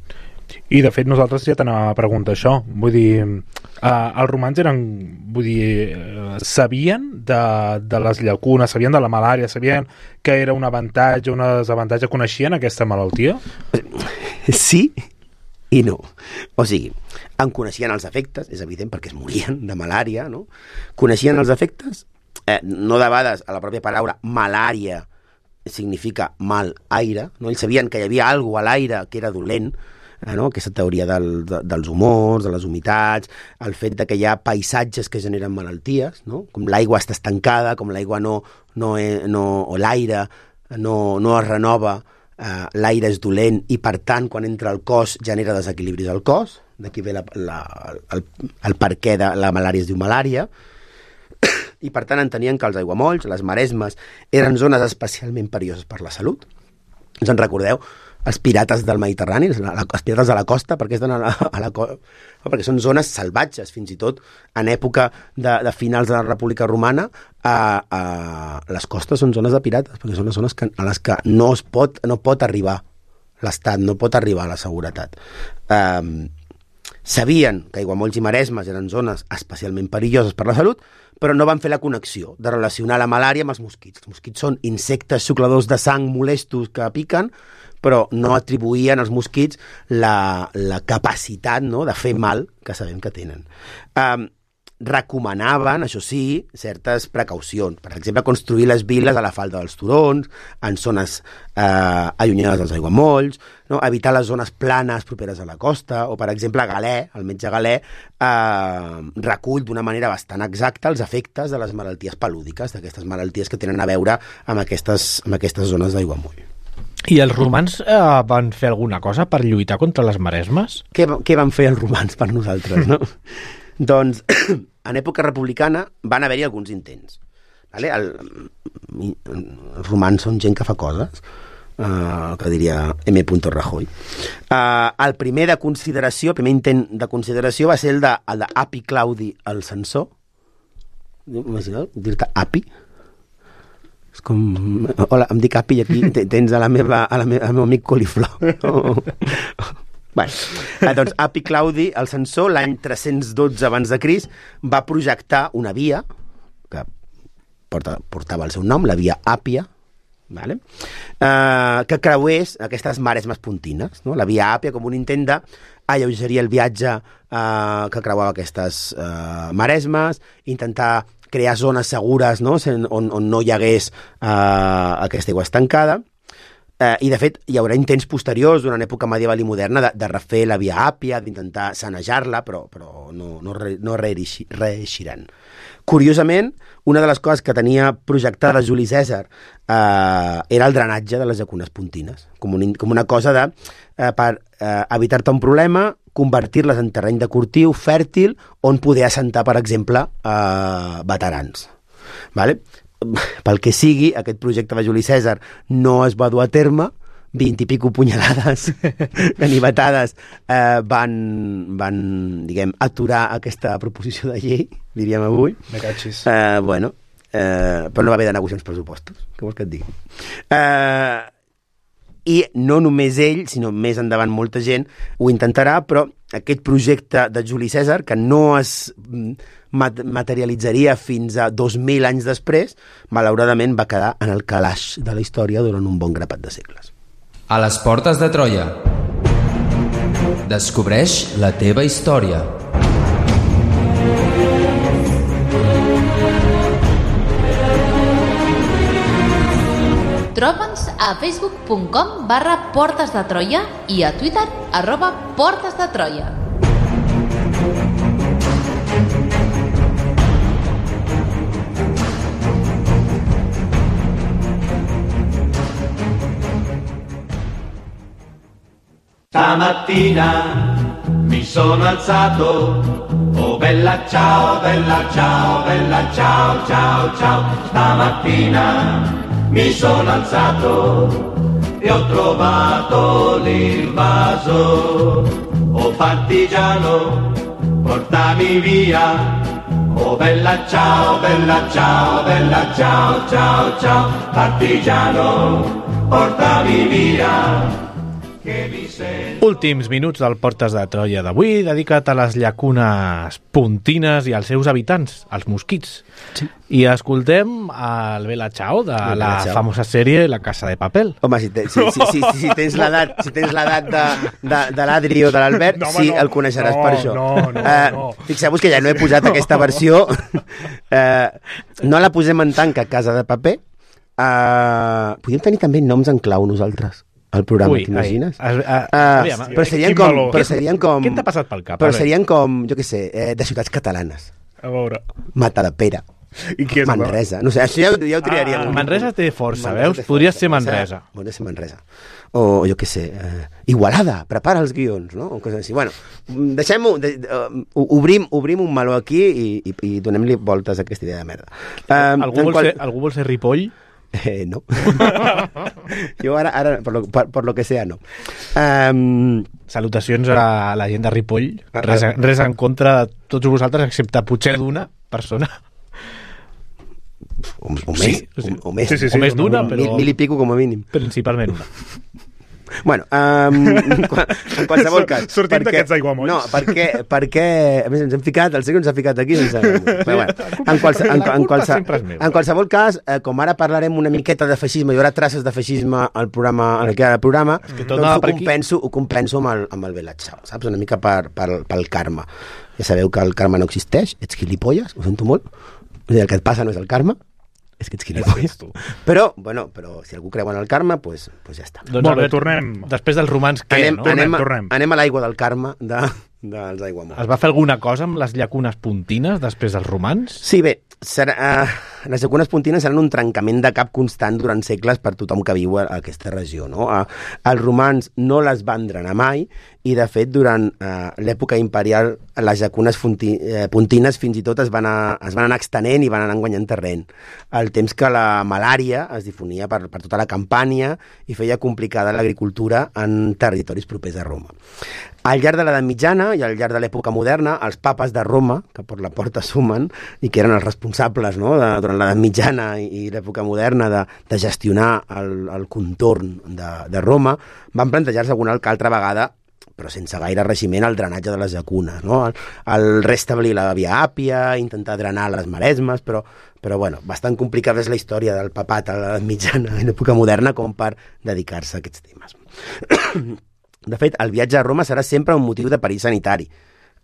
I de fet nosaltres ja t'anava a preguntar això, vull dir, eh, els romans eren, vull dir, eh, sabien de, de les llacunes, sabien de la malària, sabien que era un avantatge, un desavantatge, coneixien aquesta malaltia? Sí i no. O sigui, en coneixien els efectes, és evident, perquè es morien de malària, no? Coneixien els efectes, eh, no de vegades a la pròpia paraula malària significa mal aire, no? Ells sabien que hi havia alguna a l'aire que era dolent, eh, no? Aquesta teoria del, de, dels humors, de les humitats, el fet de que hi ha paisatges que generen malalties, no? Com l'aigua està estancada, com l'aigua no, no, no, o l'aire no, no es renova, eh, l'aire és dolent i per tant quan entra al cos genera desequilibris al cos, d'aquí ve la, la, el, el per què de la malària es diu malària, i per tant entenien que els aiguamolls, les maresmes, eren zones especialment perilloses per la salut. Us en recordeu? Els pirates del Mediterrani, els pirates de la costa, perquè, a la, a la, perquè són zones salvatges, fins i tot en època de, de finals de la República Romana, a, a, les costes són zones de pirates, perquè són les zones que, a les que no, es pot, no pot arribar l'Estat, no pot arribar a la seguretat. Um, sabien que aiguamolls i maresmes eren zones especialment perilloses per la salut, però no van fer la connexió de relacionar la malària amb els mosquits. Els mosquits són insectes xucladors de sang molestos que piquen, però no atribuïen als mosquits la, la capacitat, no?, de fer mal que sabem que tenen. Um, recomanaven, això sí, certes precaucions. Per exemple, construir les vil·les a la falda dels turons, en zones eh, allunyades dels aiguamolls, no? Evitar les zones planes properes a la costa, o, per exemple, Galè, el metge Galè, eh, recull d'una manera bastant exacta els efectes de les malalties pelúdiques, d'aquestes malalties que tenen a veure amb aquestes, amb aquestes zones d'aiguamoll. I els romans eh, van fer alguna cosa per lluitar contra les maresmes? Què, què van fer els romans per nosaltres, no? Doncs, en època republicana van haver-hi alguns intents. Vale? El, els romans són gent que fa coses, uh, que diria M. Rajoy. Uh, el primer de consideració, el primer intent de consideració va ser el d'Api Claudi el censor. Imagineu, dir-te Api. És com... Hola, em dic Api i aquí tens a la meva, a la meva, al meu amic coliflor. No? Bueno, eh, doncs Api Claudi, el censor, l'any tres-cents dotze abans de Crist, va projectar una via que porta, portava el seu nom, la via Àpia, vale? eh, que creués aquestes maresmes pontines, no? La via Àpia com un intent d'alleugerir el viatge eh, que creuava aquestes eh, maresmes, intentar crear zones segures, no?, on, on no hi hagués eh, aquesta aigua estancada. Eh, I, de fet, hi haurà intents posteriors durant època medieval i moderna de, de refer la Via Àpia, d'intentar sanejar-la, però, però no, no, re, no reeixiran. Curiosament, una de les coses que tenia projectada Juli Cèsar eh, era el drenatge de les llacunes pontines, com, un, com una cosa de, eh, per eh, evitar-te un problema, convertir-les en terreny de cultiu fèrtil on poder assentar, per exemple, eh, veterans. Vale? Pel que sigui, aquest projecte de Juli Cèsar no es va dur a terme, vint i pico punyalades ganivetades eh, van, van, diguem, aturar aquesta proposició de llei, diríem avui. Me cachis. Eh, bueno, eh, però no va haver de negociar uns pressupostos, què vols que et digui? Eh, I no només ell, sinó més endavant molta gent ho intentarà, però aquest projecte de Juli Cèsar, que no es materialitzaria fins a dos mil anys després, malauradament va quedar en el calaix de la història durant un bon grapat de segles. A les portes de Troia. Descobreix la teva història. Troba'ns a facebook punt com barra Portes de Troia i a Twitter arroba Portes de Troia. Stamattina mi sono alzato, oh bella ciao, bella ciao, bella ciao, ciao, ciao. Stamattina mi sono alzato e ho trovato l'invaso. Oh partigiano, portami via. Oh bella ciao, bella ciao, bella ciao, ciao, ciao. Partigiano, portami via. Últims minuts del Portes de Troia d'avui, dedicat a les llacunes pontines i als seus habitants, els mosquits. Sí. I escoltem el Bella Ciao de la, la Ciao. famosa sèrie La Casa de Papel. Home, si, te, si, si, si, si, si tens l'edat si tens l'edat de, de, de l'Adri o de l'Albert, no, sí, no, el coneixeràs no, per això. No, no, uh, no. Fixeu-vos que ja no he posat aquesta versió. Uh, no la posem en tanca Casa de Paper. Uh, podríem tenir també noms en clau nosaltres al programa, t'imagines? Uh, uh, però serien com, però serien com... Què t'ha passat pel cap? Però serien com, jo què sé, eh, de ciutats catalanes. A veure... Matadepera. I què és Manresa. No sé, això ja, ja ho triaríem. Ah, Manresa té força, Manresa veus? Té Podria força. ser Manresa. Podria ser Manresa. O, jo què sé, eh, Igualada, prepara els guions, no? O coses així. Bueno, deixem-ho, de, uh, obrim, obrim un meló aquí i, i, i donem-li voltes a aquesta idea de merda. Um, algú, vol qual... ser, algú vol ser Ripoll? Eh, no. Jo ara, ara per, lo, per, per lo que sea, no. Um, Salutacions a la gent de Ripoll. Res, res en contra de tots vosaltres, excepte potser d'una persona. O, o més, sí, sí. O, o més, sí, sí, sí, o més d'una, però... Mil, mil i pico com a mínim. Principalment una. Bueno, um, en qualsevol cas... Sortim d'aquests aiguamolls. No, perquè, perquè... A més, ens hem ficat, el Sergio ens ha ficat aquí sense... Però, bueno, en, qualse, en, en, qualse, en qualsevol cas, eh, com ara parlarem una miqueta de feixisme, hi haurà traces de feixisme al programa, en el que hi ha el programa, que doncs ho compenso, ho compenso amb el, amb el Bella Ciao, saps? Una mica per, per, pel karma. Ja sabeu que el karma no existeix, ets gilipolles, ho sento molt. El que et passa no és el karma, és que ets gilipolles. Però, bueno, però si algú creu en el karma, pues, pues ja està. Doncs Molt bé, tornem. Després dels romans, què, anem, no? Anem, tornem. anem a l'aigua del karma de, dels aiguamolls. Es va fer alguna cosa amb les llacunes pontines després dels romans? Sí, bé, serà, uh, les llacunes pontines seran un trencament de cap constant durant segles per tothom que viu a aquesta regió, no? Uh, els romans no les van drenar mai i, de fet, durant uh, l'època imperial les llacunes fonti, eh, pontines fins i tot es van, a, es van anar extenent i van anar guanyant terreny. El temps que la malària es difonia per, per tota la Campània i feia complicada l'agricultura en territoris propers a Roma. Al llarg de l'edat mitjana i al llarg de l'època moderna, els papes de Roma, que per la porta sumen, i que eren els responsables, no?, de, durant l'edat mitjana i, i l'època moderna de, de gestionar el, el contorn de, de Roma, van plantejar-se alguna altra vegada, però sense gaire regiment, el drenatge de les llacunes, no? El, el restablir la Via Àpia, intentar drenar les maresmes, però, però bueno, bastant complicada és la història del papat a l'edat mitjana i l'època moderna com per dedicar-se a aquests temes. De fet, el viatge a Roma serà sempre un motiu de perill sanitari.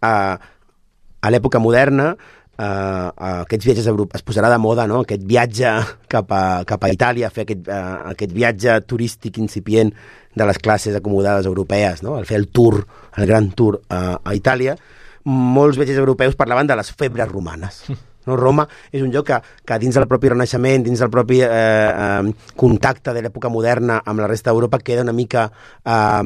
Uh, a l'època moderna, Uh, aquests viatges a Europa, es posarà de moda, no? Aquest viatge cap a, cap a Itàlia, fer aquest, uh, aquest viatge turístic incipient de les classes acomodades europees, no? El fer el tour, el gran tour uh, a Itàlia. Molts viatges europeus parlaven de les febres romanes. No? Roma és un lloc que, que dins del propi Renaixement, dins del propi eh, eh, contacte de l'època moderna amb la resta d'Europa, queda una mica eh,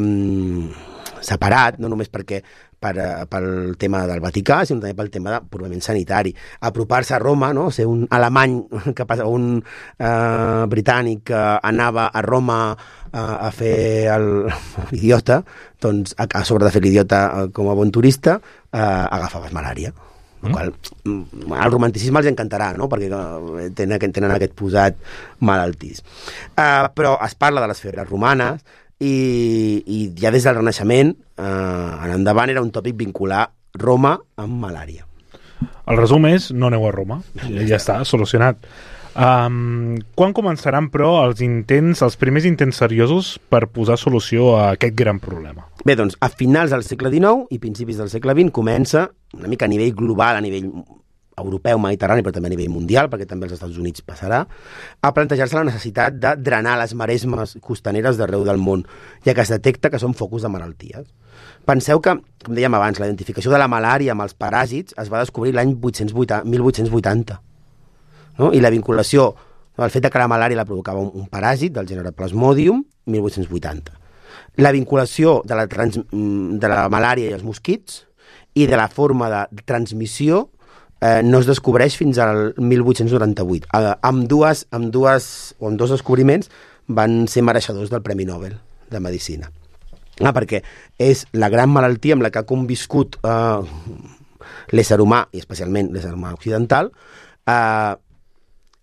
separat, no només perquè per, pel tema del Vaticà, sinó també pel tema de, purament sanitari. Apropar-se a Roma, no? Ser un alemany, que passa, un eh, britànic que anava a Roma a, a fer l'idiota, doncs a, a sobre de fer l'idiota com a bon turista, eh, agafaves malària. El qual, el romanticisme els encantarà, no? Perquè tenen, tenen aquest posat malaltís. Uh, però es parla de les febres romanes i, i ja des del Renaixement uh, en endavant era un tòpic vincular Roma amb malària. El resum és, no aneu a Roma, ja, ja està, solucionat. Um, quan començaran, però, els intents, els primers intents seriosos per posar solució a aquest gran problema? Bé, doncs, a finals del segle dinou i principis del segle vint comença, una mica a nivell global, a nivell europeu, mediterrani, però també a nivell mundial, perquè també als Estats Units passarà, a plantejar-se la necessitat de drenar les maresmes costaneres d'arreu del món, ja que es detecta que són focus de malalties. Penseu que, com dèiem abans, la identificació de la malària amb els paràsits es va descobrir l'any mil vuit-cents vuitanta. No? I la vinculació, no? El fet de que la malària la provocava un, un paràsit del gènere Plasmodium, mil vuit-cents vuitanta. La vinculació de la, trans, de la malària i els mosquits i de la forma de transmissió eh, no es descobreix fins al mil vuit-cents noranta-vuit. Eh, amb, dues, amb, dues, o amb dos descobriments van ser mereixedors del Premi Nobel de Medicina. Ah, perquè és la gran malaltia amb la que ha conviscut eh, l'ésser humà, i especialment l'ésser humà occidental, eh,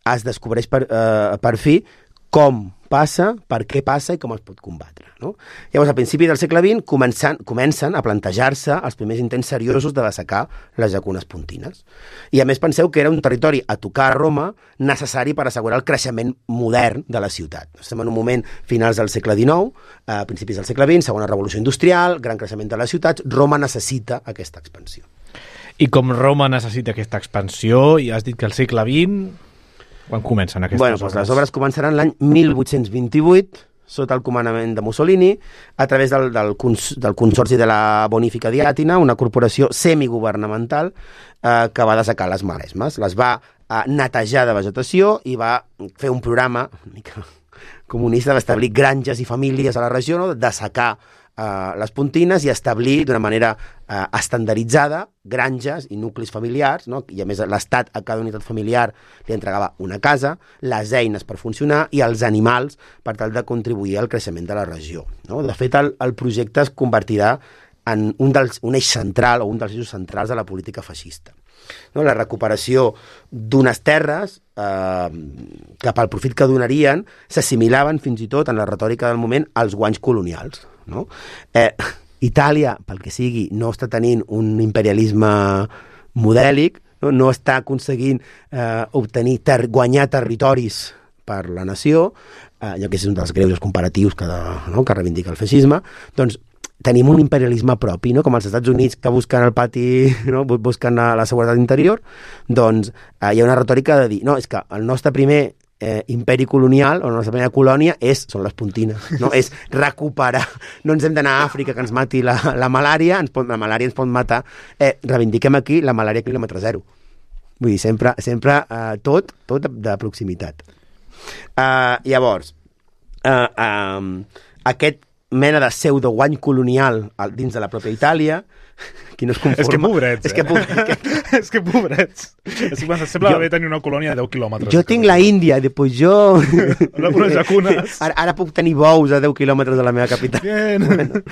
es descobreix per, eh, per fi com passa, per què passa i com es pot combatre. No? Llavors, a principi del segle vint, comencen, comencen a plantejar-se els primers intents seriosos de dessecar les llacunes pontines. I a més penseu que era un territori a tocar a Roma necessari per assegurar el creixement modern de la ciutat. Estem en un moment finals del segle dinou, a principis del segle vint, segona revolució industrial, gran creixement de les ciutats, Roma necessita aquesta expansió. I com Roma necessita aquesta expansió, i has dit que al segle vint... Quan comencen aquestes bueno, obres? Doncs les obres començaran l'any mil vuit-cents vint-i-vuit, sota el comandament de Mussolini, a través del, del, cons, del Consorci de la Bonifica di Àtina, una corporació semigovernamental eh, que va dessecar les maresmes. Les va eh, netejar de vegetació i va fer un programa una mica comunista d'establir granges i famílies a la regió, no? De dessecar Uh, les pontines i establir d'una manera uh, estandarditzada granges i nuclis familiars, no? I a més l'Estat a cada unitat familiar li entregava una casa, les eines per funcionar i els animals per tal de contribuir al creixement de la regió. No? De fet, el, el projecte es convertirà en un, dels, un eix central o un dels eixos centrals de la política feixista. No? La recuperació d'unes terres eh, que pel profit que donarien s'assimilaven fins i tot en la retòrica del moment als guanys colonials. No? Eh, Itàlia, pel que sigui, no està tenint un imperialisme modèlic, no, no està aconseguint eh, obtenir ter guanyar territoris per la nació, eh, ja que és un dels greuges comparatius que, no, que reivindica el feixisme, doncs tenim un imperialisme propi, no? Com els Estats Units que busquen el pati, no? Busquen la, la seguretat interior, doncs eh, hi ha una retòrica de dir, no, és que el nostre primer Eh, imperi colonial, o la nostra primera colònia és, són les pontines, no? És recuperar, no ens hem d'anar a Àfrica que ens mati la, la malària, ens pot, la malària ens pot matar, eh, reivindiquem aquí la malària quilòmetre zero. Vull dir, sempre, sempre eh, tot, tot de, de proximitat. Uh, llavors, uh, um, aquest mena de pseudo guany colonial dins de la pròpia Itàlia, qui no es conforma... És que pobrets, és que, eh? que... és que pobrets. És que sembla jo, haver tenir una colònia de deu quilòmetres. Jo tinc la Índia, després jo... Unes llacunes. Ara, ara puc tenir bous a deu quilòmetres de la meva capital. Bien. Bueno,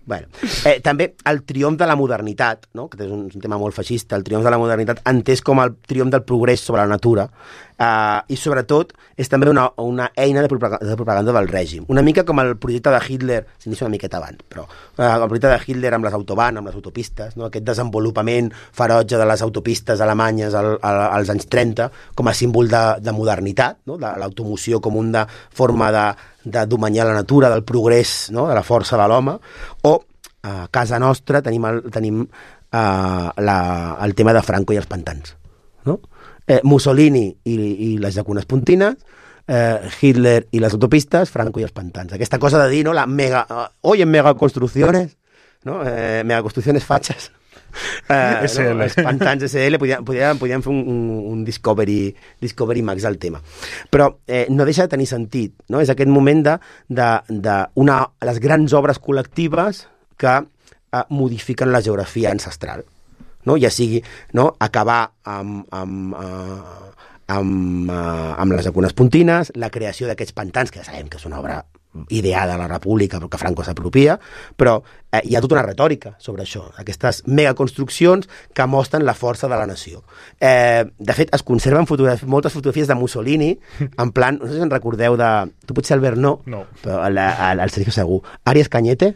bueno. Eh, també el triomf de la modernitat, no? Que és un, un tema molt feixista, el triomf de la modernitat entès com el triomf del progrés sobre la natura, Uh, i sobretot és també una, una eina de propaganda, de propaganda del règim, una mica com el projecte de Hitler, s'inicia una miqueta abans, però uh, el projecte de Hitler amb les autobahn, amb les autopistes, no? Aquest desenvolupament ferotge de les autopistes alemanyes al, al, als anys trenta com a símbol de, de modernitat, no? De l'automoció com una forma de, de domenyar la natura, del progrés, no? De la força de l'home, o a casa nostra tenim, el, tenim uh, la, el tema de Franco i els pantans, no? Eh, Mussolini i, i les llacunes pontines, eh, Hitler i les autopistes, Franco i els pantans. Aquesta cosa de dir, no, la mega, uh, hoy en megaconstrucciones, no? eh, megaconstrucciones fachas, eh, S L. no? Els pantans S L, podien, podien, podien fer un, un, un Discovery, Discovery Max al tema. Però eh, no deixa de tenir sentit, no? És aquest moment de, de, de una, les grans obres col·lectives que eh, modifiquen la geografia ancestral. No? Ja sigui, no? Acabar amb, amb, uh, amb, uh, amb les llacunes pontines, la creació d'aquests pantans, que ja sabem que és una obra ideada a la República, però que Franco s'apropia, però eh, hi ha tota una retòrica sobre això, aquestes megaconstruccions que mostren la força de la nació. Eh, de fet, es conserven fotograf moltes fotografies de Mussolini, en plan, no sé si en recordeu de... Tu potser Albert no, no. Però el, el, el Sergio segur. Arias Cañete,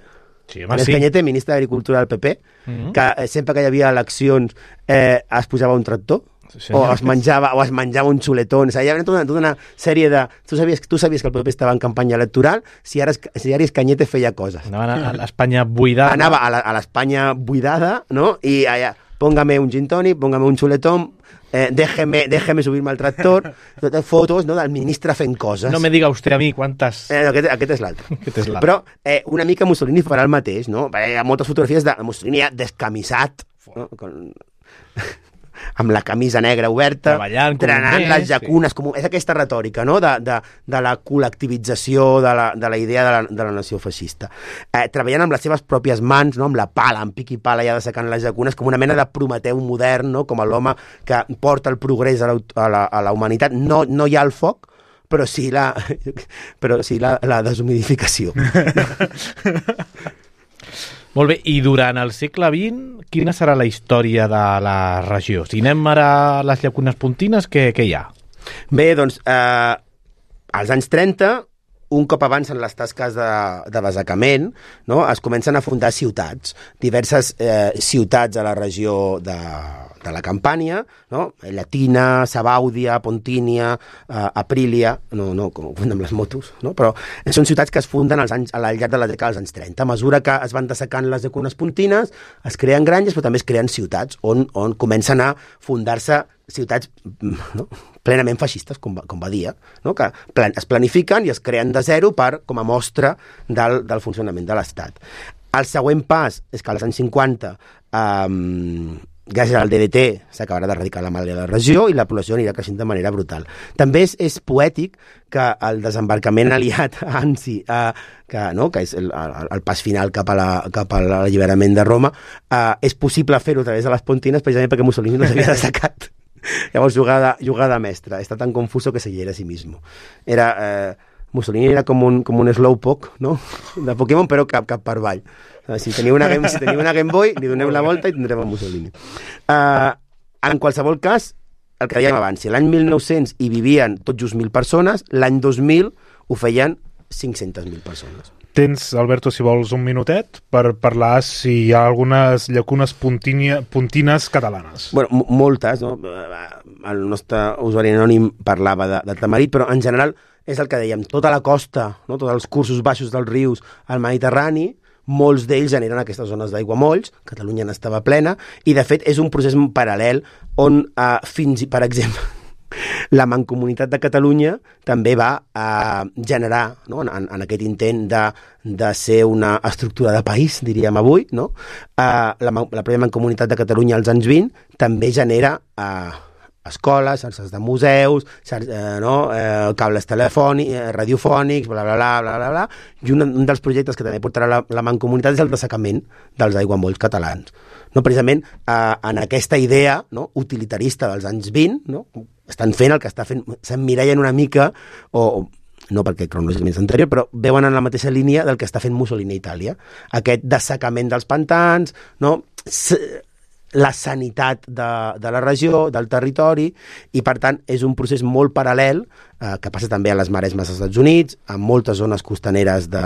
Sí, home, Arias sí. Cañete, ministre d'Agricultura del P P, Mm-hmm. que eh, sempre que hi havia eleccions eh, es posava un tractor, Sí, o es menjava o es menjava un xuletón. O sigui, hi havia tota una, tota una sèrie de... Tu sabies, tu sabies que el P P estava en campanya electoral si ara si Arias Cañete feia coses. Anaven a, a l'Espanya buidada. Anava a la- a l'Espanya buidada, no? I allà, póngame un gin tonic, póngame un xuletón, eh, déjeme, déjeme subir-me al tractor, totes fotos, no?, del ministre fent coses. No me diga usted a mi quantes... Eh, aquest, aquest és l'altre. Aquest és l'altre. Però eh, una mica Mussolini farà el mateix, no? Hi ha moltes fotografies de Mussolini ja descamisat, no? Con... amb la camisa negra oberta, Treballant com un trenant mes, les llacunes, com... és aquesta retòrica, no?, de, de, de la col·lectivització de la, de la idea de la, de la nació feixista. Eh, treballant amb les seves pròpies mans, no?, amb la pala, amb pic i pala, ja dessecant les llacunes, com una mena de Prometeu modern, no?, com l'home que porta el progrés a la, a la, a la humanitat. No, no hi ha el foc, però sí la, però sí la, la deshumidificació. Molt bé, i durant el segle vint, quina serà la història de la regió? Si anem ara a les llacunes pontines, què, què hi ha? Bé, doncs, eh, als anys trenta, un cop avancen les tasques de, de desacament, no?, es comencen a fundar ciutats, diverses eh, ciutats a la regió de, de la Campània, no?, Llatina, Sabàudia, Pontínia, eh, Aprilia, no, no, com ho amb les motos, no?, però són ciutats que es funden als anys, al llarg de la dècada dels anys trenta. A mesura que es van dessecant les llacunes pontines, es creen granges, però també es creen ciutats on, on comencen a fundar-se ciutats, no?, plenament feixistes, com va, com va dir, no?, que plan, es planifiquen i es creen de zero per, com a mostra del, del funcionament de l'Estat. El següent pas és que als anys cinquanta, eh, gràcies al D D T, s'acabarà d'erradicar la malària de la regió i la població anirà creixent de manera brutal. També és, és poètic que el desembarcament aliat a Anzi, eh, que, no?, que és el, el, el pas final cap a la, cap a l'alliberament de Roma, eh, és possible fer-ho a través de les Pontines precisament perquè Mussolini no s'havia destacat. Llavors, jugada, jugada mestra. Està tan confuso que se hiera a sí mismo. Era, eh, Mussolini era com un, com un slowpoke, no?, de Pokémon, però cap, cap per avall. Si teniu una Game, si teniu una Game Boy, li doneu la volta i tindrem el Mussolini. Uh, en qualsevol cas, el que dèiem abans, si l'any mil nou-cents hi vivien tot just mil persones, l'any dos mil ho feien cinc-centes mil persones. Tens, Alberto, si vols, un minutet per parlar si hi ha algunes llacunes puntinia, puntines catalanes. Bueno, moltes, no? El nostre usuari anònim parlava de, de Tamarit, però en general és el que dèiem, tota la costa, no?, tots els cursos baixos dels rius al Mediterrani, molts d'ells generen aquestes zones d'aiguamolls, Catalunya n'estava plena, i de fet és un procés paral·lel on eh, fins i, per exemple, la Mancomunitat de Catalunya també va eh, generar, no?, en, en aquest intent de, de ser una estructura de país, diríem avui, no? Eh, la, la pròpia Mancomunitat de Catalunya als anys vint també genera eh, escoles, xarxes de museus, xarxes, eh, no? eh, cables telefònics, eh, radiofònics, bla, bla, bla, bla, bla, bla. I un, un dels projectes que també portarà la, la Mancomunitat és el dessecament dels aiguamolls catalans. No, precisament eh, en aquesta idea, no?, utilitarista dels anys vint, no?, estan fent el que està fent, s'emmirallen una mica, o no perquè cronològicament és anterior, però veuen en la mateixa línia del que està fent Mussolini a Itàlia. Aquest dessecament dels pantans, no?, la sanitat de, de la regió, del territori, i per tant és un procés molt paral·lel eh, que passa també a les maresmes dels Estats Units, a moltes zones costaneres de,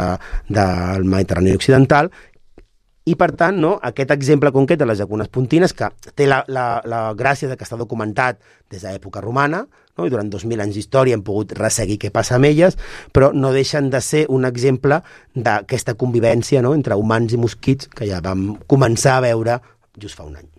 del Mediterrani occidental, i per tant, no, aquest exemple concret de les llacunes pontines, que té la, la, la gràcia de que està documentat des de l'època romana, no? I durant dos mil anys d'història hem pogut resseguir què passa amb elles, però no deixen de ser un exemple d'aquesta convivència, no?, entre humans i mosquits que ja vam començar a veure just fa un any.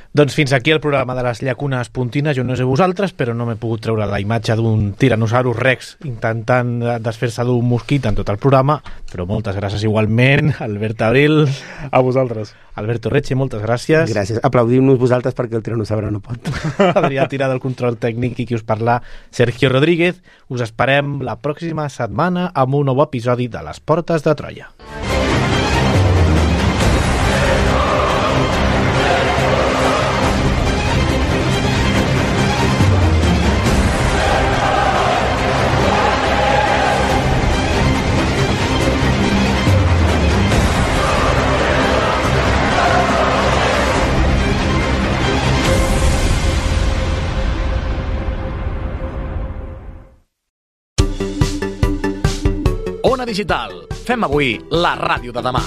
Doncs fins aquí el programa de les llacunes puntines. Jo no sé vosaltres, però no m'he pogut treure la imatge d'un tiranosaurus rex intentant desfer-se d'un mosquit en tot el programa, però moltes gràcies igualment, Albert Abril. A vosaltres. Alberto Reche, moltes gràcies. Gràcies. Aplaudim-nos vosaltres perquè el tiranosaure no pot. Adrià Tirà del control tècnic i qui us parla, Sergio Rodríguez. Us esperem la pròxima setmana amb un nou episodi de Les Portes de Troia. Ona Digital. Fem avui la ràdio de demà.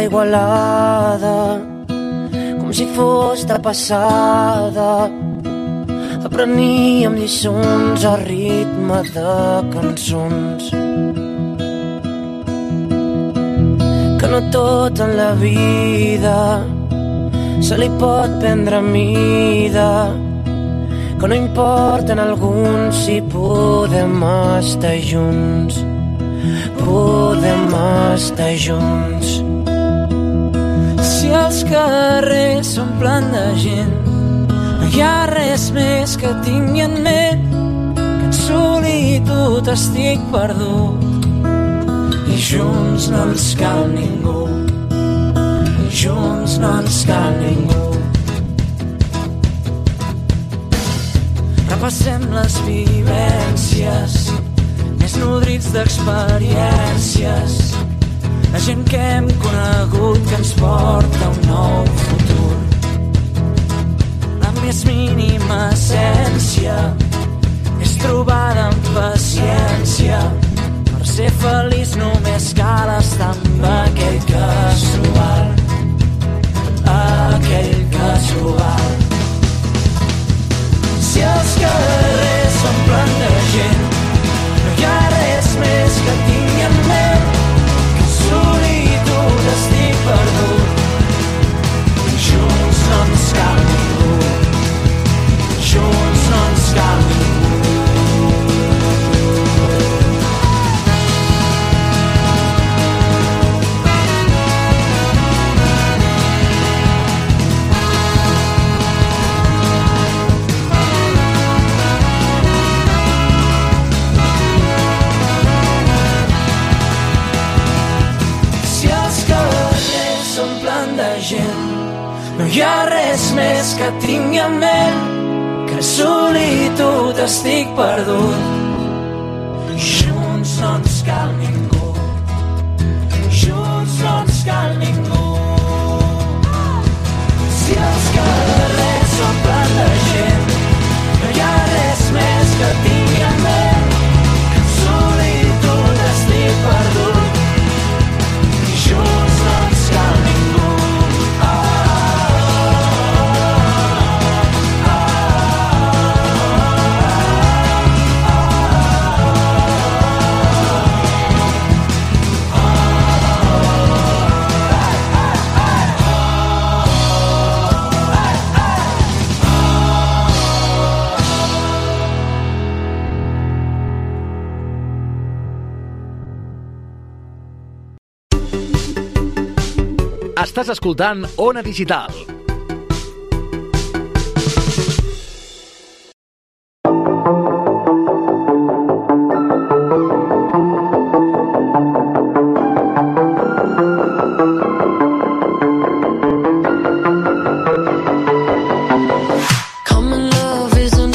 Igualada, com si fos de passada, apreníem lliçons a ritme de cançons. Que no tot en la vida se li pot prendre mida, que no importa en alguns si podem estar junts, podem estar junts. Si els carrers s'omplen de gent, no hi ha res més que tingui en ment que en solitat solitud estic perdut i junts no ens cal ningú, i junts no ens cal ningú. Repassem les vivències més nodrits d'experiències, la gent que hem conegut que ens porta un nou futur. La més mínima essència és trobada amb paciència. Per ser feliç només cal estar amb aquell casual, aquell casual. Si els carrers s'omplen de gent, no hi ha res més que tingui en ment que solitud estic perdut. Junts no ens cal ningú, junts no ens cal ningú. No hi ha res més que tingui en ment que solitud estic perdut. Junts no ens cal ningú, junts no ens cal ningú. Si els carrers s'omplen de gent, no hi ha res més que tingui en ment que solitud estic perdut. Junts no ens cal ningú. Estàs escoltant Ona Digital,